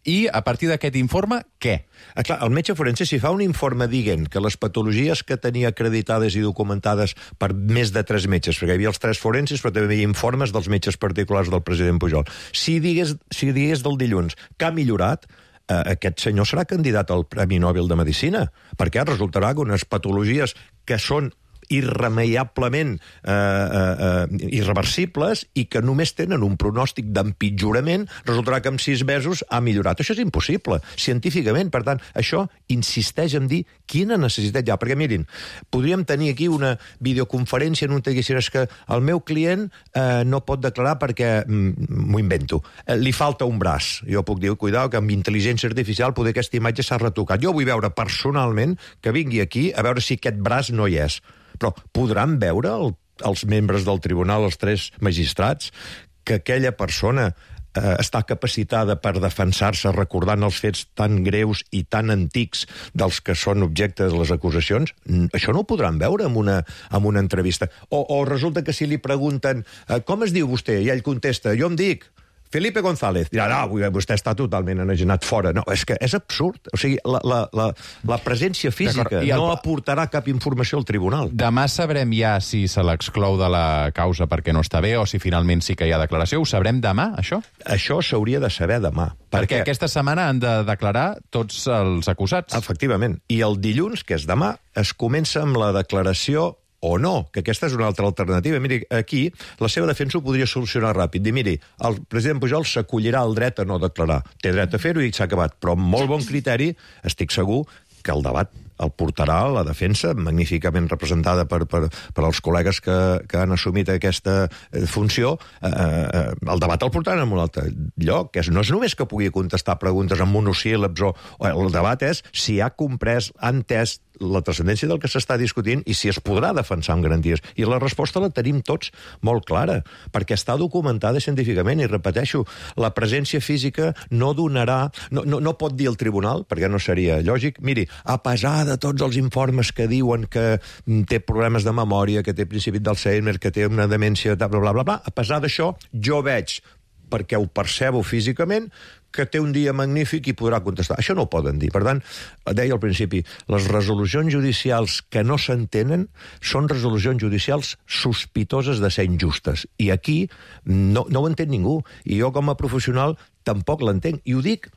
i a partir d'aquest informe, què? Clar, el metge forense, si fa un informe dient que les patologies que tenia acreditades i documentades per més de 3 metges, perquè hi havia els 3 forenses, però també hi havia informes dels metges particulars del president Pujol, si digués del dilluns que ha millorat, aquest senyor serà candidat al Premi Nobel de Medicina, perquè resultarà que unes patologies que són irremeiablement irreversibles i que només tenen un pronòstic d'empitjorament, resultarà que en 6 mesos ha millorat. Això és impossible, científicament. Per tant, això insisteix en dir quina necessitat hi ha. Perquè, mirin, podríem tenir aquí una videoconferència en un que diguessin que el meu client no pot declarar perquè, m'ho invento, li falta un braç. Jo puc dir, cuidao, que amb intel·ligència artificial poder aquesta imatge s'ha retocat. Jo vull veure personalment que vingui aquí a veure si aquest braç no hi és. Però podran veure els membres del tribunal, els 3 magistrats, que aquella persona està capacitada per defensar-se recordant els fets tan greus i tan antics dels que són objecte de les acusacions? Això no ho podran veure en una entrevista. O resulta que si li pregunten com es diu vostè? I ell contesta, jo em dic Felipe González. Dirà, no, vostè està totalment enajenat fora. No, és que és absurd. O sigui, la presència física no aportarà cap informació al tribunal. Demà sabrem ja si se l'exclou de la causa perquè no està bé o si finalment sí que hi ha declaració. Ho sabrem demà, això? Això s'hauria de saber demà. Perquè aquesta setmana han de declarar tots els acusats. Efectivament. I el dilluns, que és demà, es comença amb la declaració o no, que aquesta és una altra alternativa. Miri, aquí la seva defensa ho podria solucionar ràpid. Dir, miri, el president Pujol s'acollirà al dret a no declarar. Té dret a fer-ho i s'ha acabat. Però amb molt bon criteri, estic segur que el debat el portarà la defensa, magníficament representada per als col·legues que han assumit aquesta funció. El debat el portaran en un altre lloc. No és només que pugui contestar preguntes en monosíl·labs. El debat és si ha comprès, ha entès la transcendència del que s'està discutint i si es podrà defensar amb garanties. I la resposta la tenim tots molt clara, perquè està documentada científicament, i repeteixo, la presència física no donarà... No pot dir el tribunal, perquè no seria lògic, miri, a pesar de tots els informes que diuen que té problemes de memòria, que té principi d'Alzheimer, que té una demència, bla, bla, bla, a pesar d'això, jo veig, perquè ho percebo físicament, que té un dia magnífic i podrà contestar. Això no ho poden dir. Per tant, deia al principi, les resolucions judicials que no s'entenen són resolucions judicials sospitoses de ser injustes. I aquí no ho entén ningú. I jo, com a professional, tampoc l'entenc. I ho dic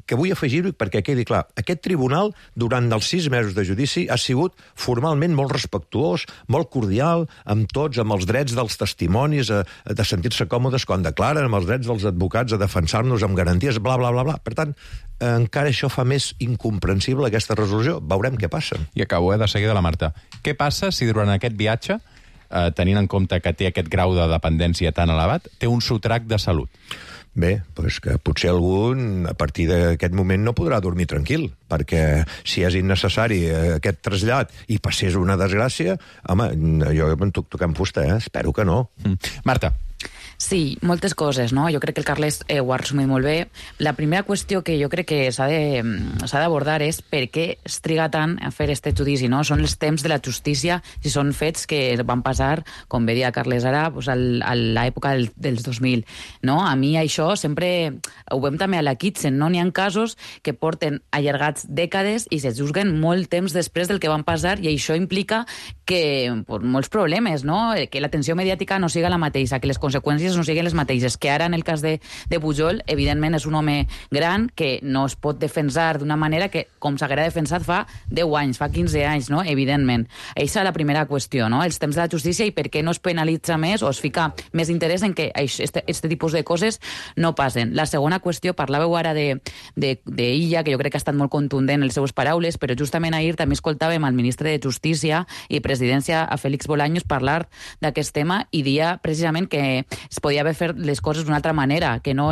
que vull afegir-ho perquè quedi clar. Aquest tribunal, durant els 6 mesos de judici, ha sigut formalment molt respectuós, molt cordial, amb tots, amb els drets dels testimonis, de sentir-se còmodes quan declaren, amb els drets dels advocats a defensar-nos amb garanties, bla, bla, bla, bla. Per tant, encara això fa més incomprensible aquesta resolució. Veurem què passa. I acabo, de seguida, la Marta. Què passa si durant aquest viatge, tenint en compte que té aquest grau de dependència tan elevat, té un sotrac de salut? Bé, doncs que potser algun, a partir d'aquest moment, no podrà dormir tranquil, perquè si és innecessari aquest trasllat i passés una desgràcia, home, jo em toquem fusta, espero que no. Marta. Sí, moltes coses, no? Jo crec que el Carles ho ha resumit molt bé. La primera qüestió que jo crec que s'ha d'abordar és per què es triga tant a fer este judici, no? Són els temps de la justícia, si són fets que van passar, com bé dia Carles ara, doncs a l'època dels 2000, no? A mi això sempre ho veiem també a la Kitchen, no? N'hi ha casos que porten allargats dècades i se juzguen molt temps després del que van passar, i això implica que molts problemes, no? Que l'atenció mediàtica no siga la mateixa, que les conseqüències no siguin les mateixes, que ara en el cas de Pujol, evidentment és un home gran que no es pot defensar d'una manera que, com s'haguera defensat fa 10 anys, fa 15 anys, no? Evidentment. Aquesta és la primera qüestió, no? Els temps de la justícia i per què no es penalitza més o es fica més interès en que aquest tipus de coses no passen. La segona qüestió, parlàveu ara d'Illa, que jo crec que ha estat molt contundent en les seues paraules, però justament ahir també escoltàvem al ministre de Justícia i Presidència, a Félix Bolaños, parlar d'aquest tema i dia precisament que es podia haver fet les coses d'una altra manera, que no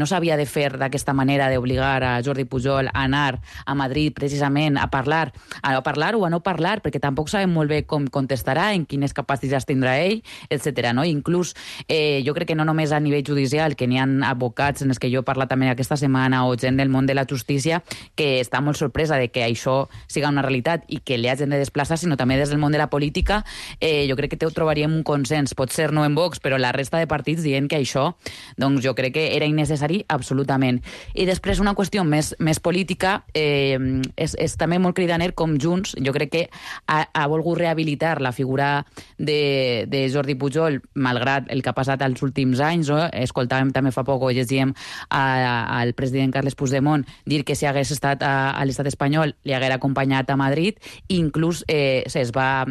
s'havia de fer d'aquesta manera d'obligar a Jordi Pujol a anar a Madrid precisament a parlar o a no parlar, perquè tampoc sabem molt bé com contestarà, en quines capacitats tindrà ell, etc. No? Inclús jo crec que no només a nivell judicial, que n'hi ha advocats en els que jo he parlat també aquesta setmana o gent del món de la justícia que està molt sorpresa de que això siga una realitat i que li hagin de desplaçar, sinó també des del món de la política. Jo crec que trobaríem un consens, potser no en Vox, però la resta de partits dient que això, doncs jo crec que era innecessari absolutament. I després una qüestió més política, és també molt cridaner com Junts, jo crec que ha volgut rehabilitar la figura de Jordi Pujol, malgrat el que ha passat als últims anys, no? Escoltàvem també fa poc, o llegíem al president Carles Puigdemont dir que si hagués estat a l'estat espanyol li haguera acompanyat a Madrid, i inclús es va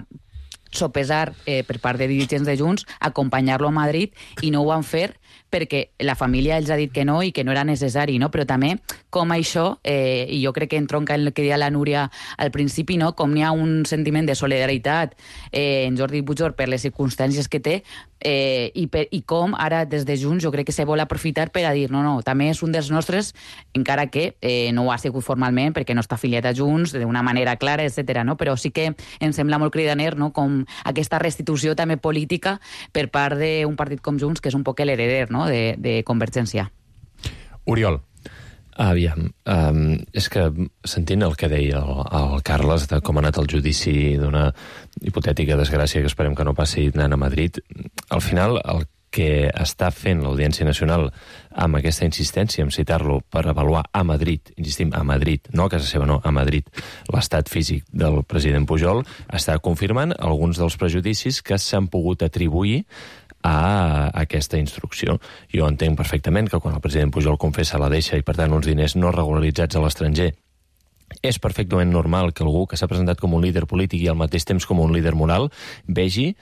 sopesar per part de dirigents de Junts, acompanyar-lo a Madrid, i no ho van fer perquè la família els ha dit que no i que no era necessari, no? Però també com això, i jo crec que entronca el que deia la Núria al principi, no? Com n'hi ha un sentiment de solidaritat en Jordi Pujol per les circumstàncies que té, i com ara des de Junts jo crec que se vol aprofitar per a dir no, també és un dels nostres, encara que no ho ha sigut formalment perquè no està afiliat a Junts d'una manera clara, etc. No? Però sí que em sembla molt cridaner, no? Com aquesta restitució també política per part d'un partit com Junts, que és un poc l'hereder, no? de Convergència. Oriol. Aviam, és que sentint el que deia el Carles de com ha anat el judici d'una hipotètica desgràcia que esperem que no passi anant a Madrid, al final el que està fent l'Audiència Nacional amb aquesta insistència en citar-lo per avaluar a Madrid, insistim, a Madrid, no a casa seva, no, a Madrid, l'estat físic del president Pujol, està confirmant alguns dels prejudicis que s'han pogut atribuir a aquesta instrucció. Jo entenc perfectament que quan el president Pujol confessa la deixa i, per tant, uns diners no regularitzats a l'estranger, és perfectament normal que algú que s'ha presentat com un líder polític i al mateix temps com un líder moral vegi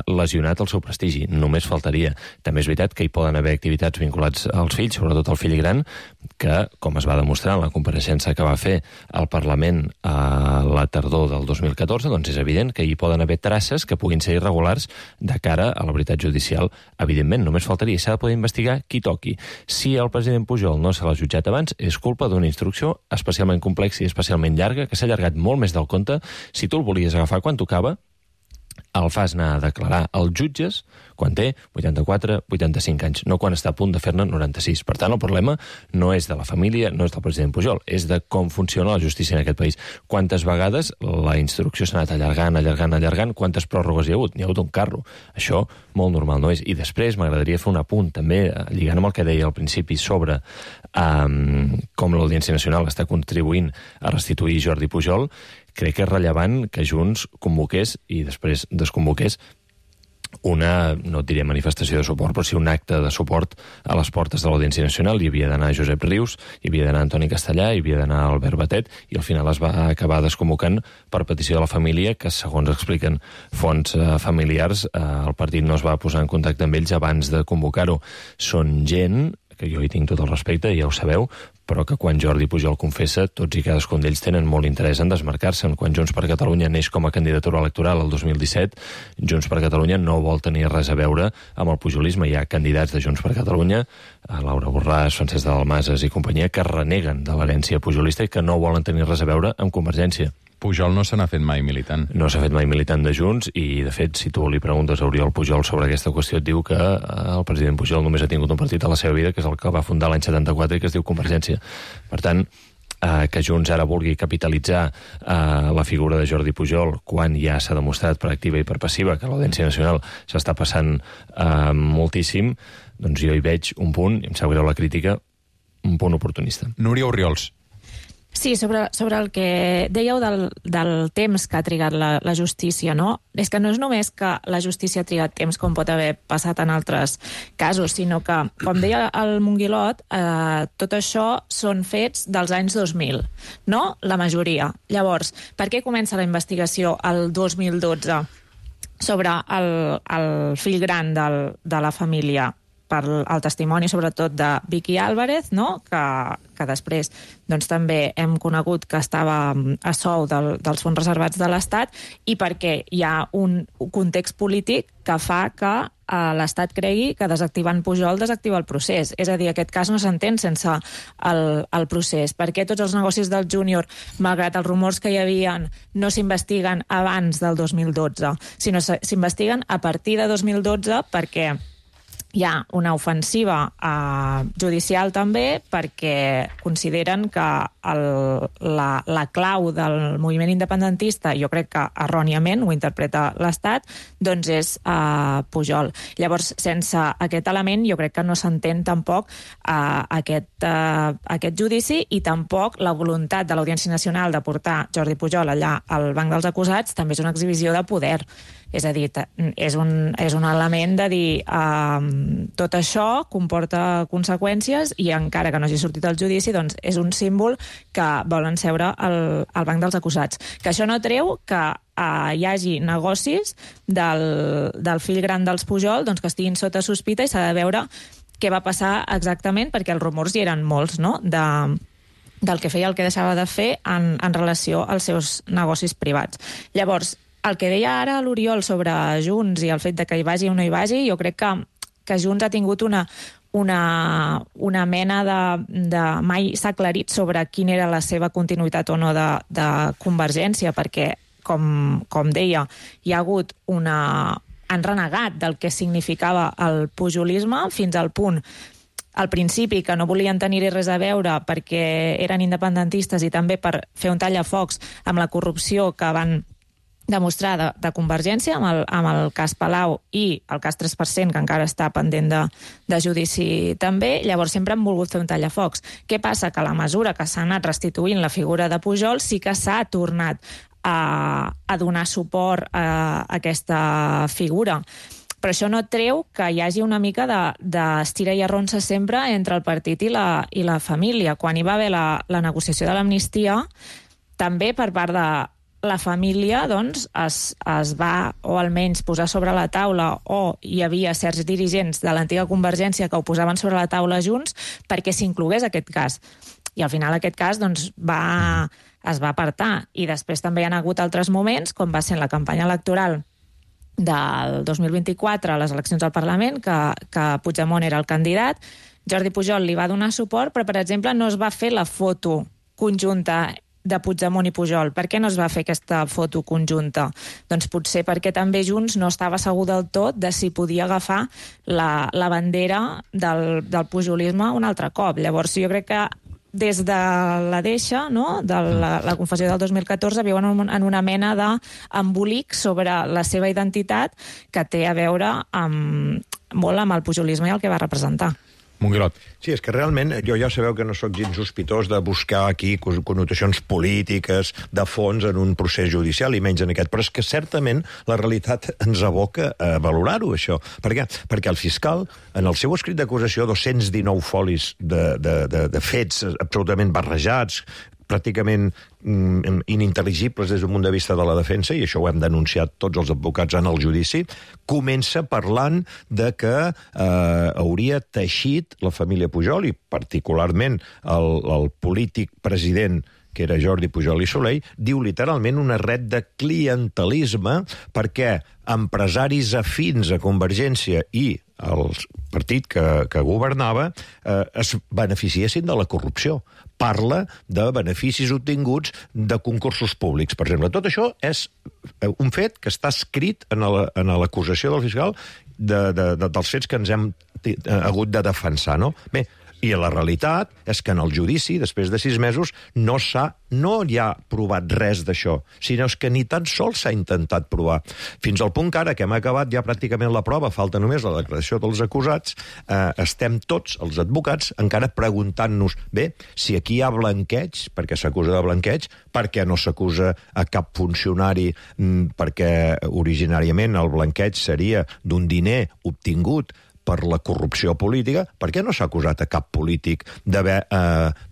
lesionat el seu prestigi. Només faltaria. També és veritat que hi poden haver activitats vinculats als fills, sobretot al fill gran, que, com es va demostrar en la compareixença que va fer al Parlament a la tardor del 2014, doncs és evident que hi poden haver traces que puguin ser irregulars de cara a la veritat judicial. Evidentment, només faltaria. S'ha de poder investigar qui toqui. Si el president Pujol no se l'ha jutjat abans, és culpa d'una instrucció especialment complexa i especialment llarga, que s'ha allargat molt més del compte. Si tu el volies agafar quan tocava, el fas anar a declarar als jutges quan té 84, 85 anys, no quan està a punt de fer-ne 96. Per tant, el problema no és de la família, no és del president Pujol, és de com funciona la justícia en aquest país. Quantes vegades la instrucció s'ha anat allargant, quantes pròrrogues hi ha hagut? N'hi ha hagut un carro. Això molt normal no és. I després m'agradaria fer un apunt, també, lligant amb el que deia al principi sobre com l'Audiència Nacional està contribuint a restituir Jordi Pujol. Crec que és rellevant que Junts convoqués i després desconvoqués una, no et diré manifestació de suport, però sí un acte de suport a les portes de l'Audiència Nacional. Hi havia d'anar Josep Rius, hi havia d'anar Antoni Castellà, hi havia d'anar Albert Batet, i al final es va acabar desconvocant per petició de la família, que segons expliquen fonts familiars, el partit no es va posar en contacte amb ells abans de convocar-ho. Són gent que jo hi tinc tot el respecte, ja ho sabeu, però que quan Jordi Pujol confessa, tots i cadascun d'ells tenen molt interès en desmarcar-se'n. Quan Junts per Catalunya neix com a candidatura electoral el 2017, Junts per Catalunya no vol tenir res a veure amb el pujolisme. Hi ha candidats de Junts per Catalunya, Laura Borràs, Francesc de Dalmases i companyia, que reneguen de l'herència pujolista i que no volen tenir res a veure amb Convergència. Pujol no se n'ha fet mai militant. No s'ha fet mai militant de Junts i, de fet, si tu li preguntes a Oriol Pujol sobre aquesta qüestió, et diu que el president Pujol només ha tingut un partit a la seva vida, que és el que va fundar l'any 74 i que es diu Convergència. Per tant, que Junts ara vulgui capitalitzar la figura de Jordi Pujol quan ja s'ha demostrat per activa i per passiva que l'Audiència Nacional s'està passant moltíssim, doncs jo hi veig un punt, i em sap greu la crítica, un punt oportunista. Núria Orriols. Sí, sobre el que dèieu del temps que ha trigat la justícia, no? És que no és només que la justícia ha trigat temps com pot haver passat en altres casos, sinó que, com deia el Monguilot, tot això són fets dels anys 2000, no? La majoria. Llavors, per què comença la investigació el 2012 sobre el fill gran de la família? Per el testimoni, sobretot, de Vicky Álvarez, no? que després doncs, també hem conegut que estava a sou dels fons reservats de l'Estat, i perquè hi ha un context polític que fa que l'Estat cregui que desactivant Pujol desactiva el procés. És a dir, aquest cas no s'entén sense el procés. Per què tots els negocis del Júnior, malgrat els rumors que hi havia, no s'investiguen abans del 2012, sinó s'investiguen a partir de 2012 perquè hi ha una ofensiva judicial també, perquè consideren que la clau del moviment independentista, jo crec que erròniament ho interpreta l'Estat, doncs és Pujol. Llavors, sense aquest element, jo crec que no s'entén tampoc aquest judici, i tampoc la voluntat de l'Audiència Nacional de portar Jordi Pujol allà al banc dels acusats també és una exhibició de poder. És a dir, és un element de dir tot això comporta conseqüències i encara que no hagi sortit el judici, doncs és un símbol que volen seure al banc dels acusats. Que això no treu que hi hagi negocis del fill gran dels Pujol doncs, que estiguin sota sospita i s'ha de veure què va passar exactament, perquè els rumors hi eren molts, no?, del que feia, el que deixava de fer en relació als seus negocis privats. Llavors, el que deia ara l'Oriol sobre Junts i el fet de que hi vagi o no hi vagi, jo crec que Junts ha tingut una mena de mai s'ha aclarit sobre quina era la seva continuïtat o no de Convergència, perquè, com deia, hi ha hagut han renegat del que significava el pujolisme fins al punt al principi que no volien tenir-hi res a veure perquè eren independentistes i també per fer un tallafocs amb la corrupció que van demostrar de Convergència amb el cas Palau i el cas 3%, que encara està pendent de judici també. Llavors sempre han volgut fer un tallafocs. Què passa? Que a la mesura que s'ha anat restituint la figura de Pujol sí que s'ha tornat a donar suport a aquesta figura. Però això no treu que hi hagi una mica d'estira i arronsa sempre entre el partit i la família. Quan hi va haver la negociació de l'amnistia, també per part de la família doncs, es va, o almenys posar sobre la taula, o hi havia certs dirigents de l'antiga Convergència que ho posaven sobre la taula junts perquè s'inclogués aquest cas. I al final aquest cas doncs, es va apartar. I després també hi ha hagut altres moments, com va ser en la campanya electoral del 2024 a les eleccions al Parlament, que Puigdemont era el candidat. Jordi Pujol li va donar suport, però, per exemple, no es va fer la foto conjunta de Puigdemont i Pujol. Per què no es va fer aquesta foto conjunta? Doncs potser perquè també Junts no estava segur del tot de si podia agafar la bandera del pujolisme un altre cop. Llavors jo crec que des de la deixa, no?, de la confessió del 2014, viuen en una mena d'embolic sobre la seva identitat que té a veure molt amb el pujolisme i el que va representar. Monguilot. Sí, és que realment jo ja sabeu que no sóc gens sospitós de buscar aquí connotacions polítiques de fons en un procés judicial i menys en aquest, però és que certament la realitat ens aboca a valorar-ho, això. Per què? Perquè el fiscal, en el seu escrit d'acusació, 219 folis de fets absolutament barrejats, pràcticament inintel·ligibles des d'un punt de vista de la defensa, i això ho hem denunciat tots els advocats en el judici, comença parlant de que hauria teixit la família Pujol, i particularment el polític president, que era Jordi Pujol i Soley, diu literalment una red de clientelisme perquè empresaris afins a Convergència i el partit que governava es beneficiessin de la corrupció. Parla de beneficis obtinguts de concursos públics, per exemple. Tot això és un fet que està escrit en l'acusació del fiscal dels fets que ens hem hagut de defensar, no? Bé, i la realitat és que en el judici, després de 6 mesos, no hi ha provat res d'això, sinó que ni tan sols s'ha intentat provar. Fins al punt que ara, que hem acabat ja pràcticament la prova, falta només la declaració dels acusats, estem tots, els advocats, encara preguntant-nos, bé, si aquí hi ha blanqueig, perquè s'acusa de blanqueig, per què no s'acusa a cap funcionari, perquè originàriament el blanqueig seria d'un diner obtingut per la corrupció política, per què no s'ha acusat a cap polític d'haver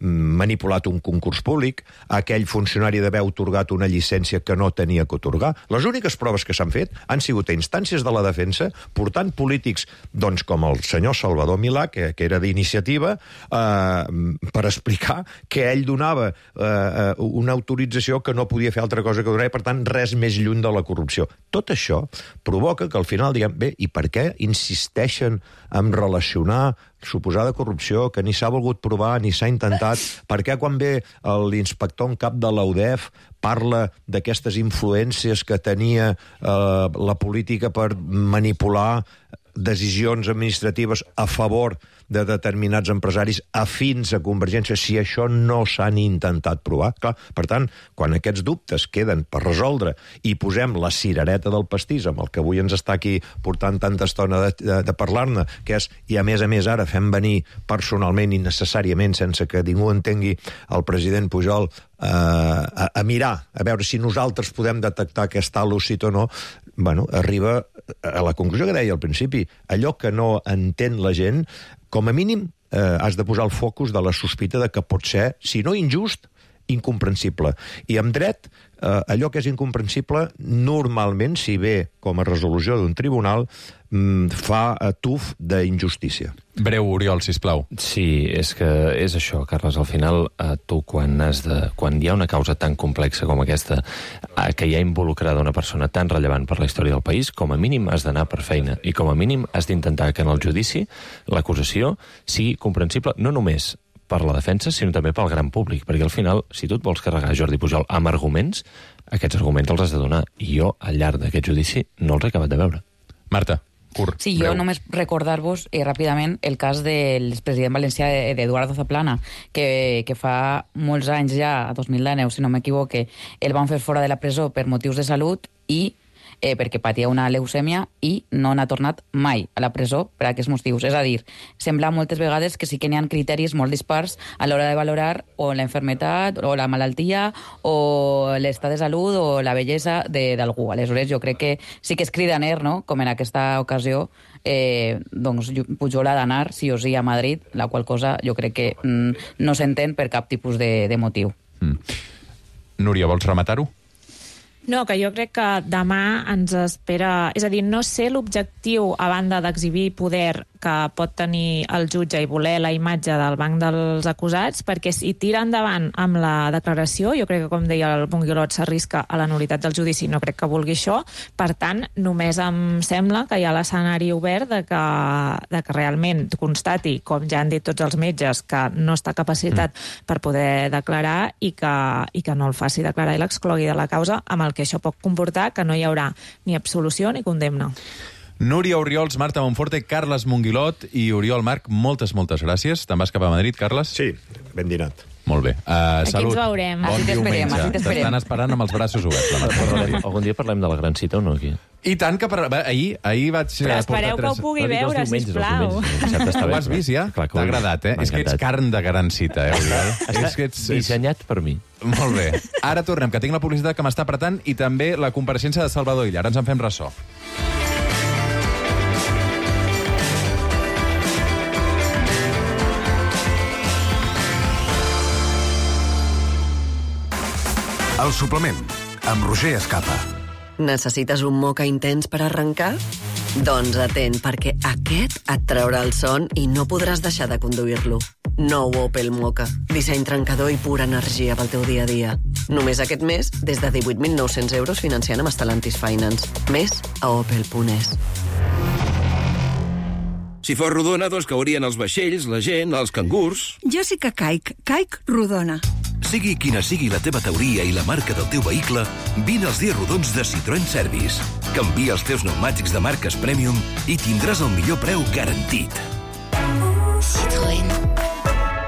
manipulat un concurs públic, a aquell funcionari d'haver atorgat una llicència que no tenia que atorgar? Les úniques proves que s'han fet han sigut a instàncies de la defensa, portant polítics doncs, com el senyor Salvador Milà, que era d'iniciativa, per explicar que ell donava una autorització que no podia fer altra cosa que donar, i per tant res més lluny de la corrupció. Tot això provoca que al final diguem, bé, i per què insisteixen en relacionar suposada corrupció que ni s'ha volgut provar ni s'ha intentat? Per què quan ve l'inspector en cap de l'UDEF parla d'aquestes influències que tenia la política per manipular decisions administratives a favor de determinats empresaris afins a Convergència, si això no s'han intentat provar? Clar, per tant, quan aquests dubtes queden per resoldre i posem la cirereta del pastís, amb el que avui ens està aquí portant tanta estona de parlar-ne, que és, i a més ara fem venir personalment i necessàriament, sense que ningú entengui, el president Pujol a mirar, a veure si nosaltres podem detectar aquest hàl·lucit o no, arriba a la conclusió que deia al principi. Allò que no entén la gent, com a mínim has de posar el focus de la sospita de que pot ser, si no injust, incomprensible. I amb dret, allò que és incomprensible, normalment, si ve com a resolució d'un tribunal, fa tuf d'injustícia. Breu, Oriol, sisplau. Sí, és que és això, Carles. Al final, tu, quan hi ha una causa tan complexa com aquesta, que hi ha involucrada una persona tan rellevant per la història del país, com a mínim has d'anar per feina. I com a mínim has d'intentar que en el judici l'acusació sigui comprensible no només per la defensa, sinó també pel gran públic, perquè al final, si tu et vols carregar Jordi Pujol amb arguments, aquests arguments els has de donar. I jo, al llarg d'aquest judici, no els he acabat de veure. Marta, curt, sí, breu. jo només recordar-vos ràpidament el cas del president valencià d'Eduardo Zaplana, que fa molts anys ja, a 2019, si no m'equivoque, el van fer fora de la presó per motius de salut i perquè patia una leucèmia i no n'ha tornat mai a la presó per aquests motius. És a dir, sembla moltes vegades que sí que n'hi ha criteris molt dispars a l'hora de valorar o la enfermetat o la malaltia o l'estat de salut o la bellesa d'algú. Aleshores, jo crec que sí que és cridaner, no?, com en aquesta ocasió, doncs Pujol ha d'anar sí o sí a Madrid, la qual cosa jo crec que no s'entén per cap tipus de motiu. Núria, vols rematar-ho? No, que jo crec que demà ens espera... És a dir, no sé l'objectiu, a banda d'exhibir poder que pot tenir el jutge i voler la imatge del banc dels acusats, perquè si tira endavant amb la declaració, jo crec que, com deia el Bonguilot, s'arrisca a la nul·litat del judici, no crec que vulgui això. Per tant, només em sembla que hi ha l'escenari obert de que realment constati, com ja han dit tots els metges, que no està capacitat per poder declarar i que no el faci declarar i l'exclogui de la causa, amb el que això pot comportar que no hi haurà ni absolució ni condemna. Núria Oriols, Marta Monforte, Carles Monguilot i Oriol Marc, moltes gràcies. Te'n vas cap a Madrid, Carles? Sí, ben dinat. Molt bé. Aquí Salut. ens veurem. Bon diumenge. T'estan esperant amb els braços oberts. Algun dia parlem de la gran cita o no, aquí? I tant que ahir vaig... Però espereu que ho pugui veure, sisplau. Ho has vist ja? T'ha agradat, eh? És que ets carn de gran cita, Oriol? És que ets dissenyat per mi. Molt bé. Ara tornem, que tinc la publicitat que m'està apretant i també la compareixença de Salvador Illa. Ara ens en fem ressò. El suplement, amb Roger Escapa. Necessites un moca intens per arrencar? Doncs atent, perquè aquest et traurà el son i no podràs deixar de conduir-lo. Nou Opel Moka. Disseny trencador i pura energia pel teu dia a dia. Només aquest mes, des de 18.900 euros financiant amb Stellantis Finance. Més a opel.es. Si fos rodona, doncs caurien els vaixells, la gent, els cangurs... Jo sí que caic rodona. Sigui quina sigui la teva teoria i la marca del teu vehicle, vine als dies rodons de Citroën Service. Canvia els teus pneumàtics de marques Premium i tindràs el millor preu garantit. Citroën.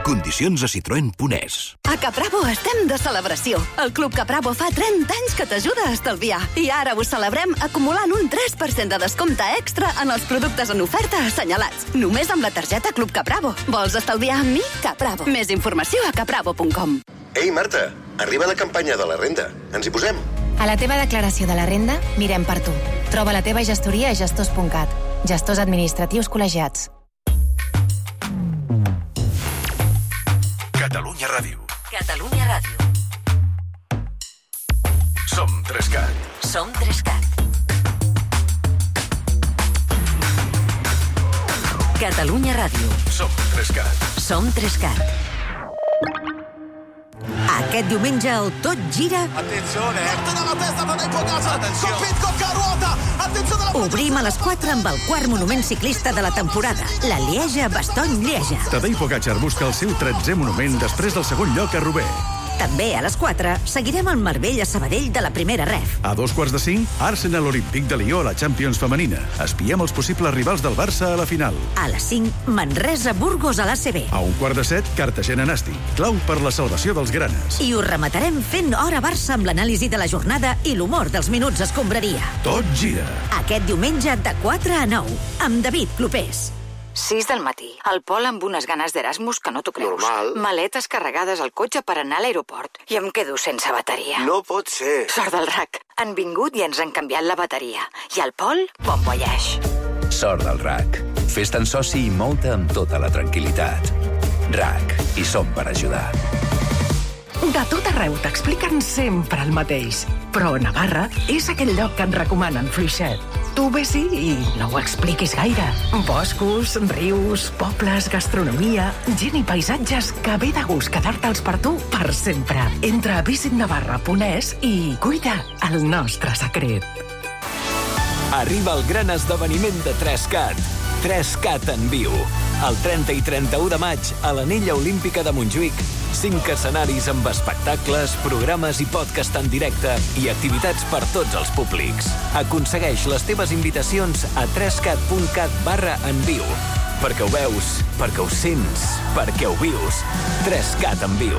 Condicions a citroen.es. A Capravo estem de celebració. El Club Capravo fa 30 anys que t'ajuda a estalviar. I ara ho celebrem acumulant un 3% de descompte extra en els productes en oferta assenyalats. Només amb la targeta Club Capravo. Vols estalviar amb mi? Capravo. Més informació a capravo.com. Ei, Marta, arriba la campanya de la renda. Ens hi posem? A la teva declaració de la renda, mirem per tu. Troba la teva gestoria a gestors.cat. Gestors administratius col·legiats. Catalunya Ràdio. Catalunya Ràdio. Som 3CAT. Som 3CAT. Catalunya Ràdio. Som 3CAT. Som 3CAT. Aquest diumenge el Tot Gira. Attenzione, dalla testa per Pogacar. Copit, ruota. Attenzione alla... Obrim a les 4 amb el quart monument ciclista de la temporada, la Lieja-Bastogne-Lieja. Tadej Pogacar busca el seu 13è monument després del segon lloc a Roubaix. També a les 4 seguirem el Marbella Sabadell de la primera ref. A 2:45, Arsenal Olímpic de Lió a la Champions femenina. Espiem els possibles rivals del Barça a la final. A les 5, Manresa Burgos a l'ACB. A 6:45, Cartagena Nàstic. Clau per la salvació dels granes. I ho rematarem fent Hora Barça amb l'anàlisi de la jornada i l'humor dels minuts escombraria. Tot gira. Aquest diumenge de 4 a 9, amb David Clopés. 6 del matí. El Pol amb unes ganes d'Erasmus que no t'ho creus. Normal. Maletes carregades al cotxe per anar a l'aeroport. I em quedo sense bateria. No pot ser. Sort del RAC. Han vingut i ens han canviat la bateria. I el Pol, bon voyage. Sort del RAC. Fes-te'n soci i mou-te amb tota la tranquil·litat. RAC. Hi som per ajudar. De tot arreu t'expliquen sempre el mateix. Però Navarra és aquell lloc que et recomanen fluixet. Tu ves-hi i no ho expliquis gaire. Boscos, rius, pobles, gastronomia, gent i paisatges que ve de gust quedar-te'ls per tu per sempre. Entra a visitnavarra.es i cuida el nostre secret. Arriba el gran esdeveniment de 3CAT. 3CAT en viu. El 30 i 31 de maig a l'Anella Olímpica de Montjuïc. 5 escenaris amb espectacles, programes i podcast en directe i activitats per tots els públics. Aconsegueix les teves invitacions a 3cat.cat/enviu. Perquè ho veus, perquè ho sents, perquè ho vius. 3CAT en viu.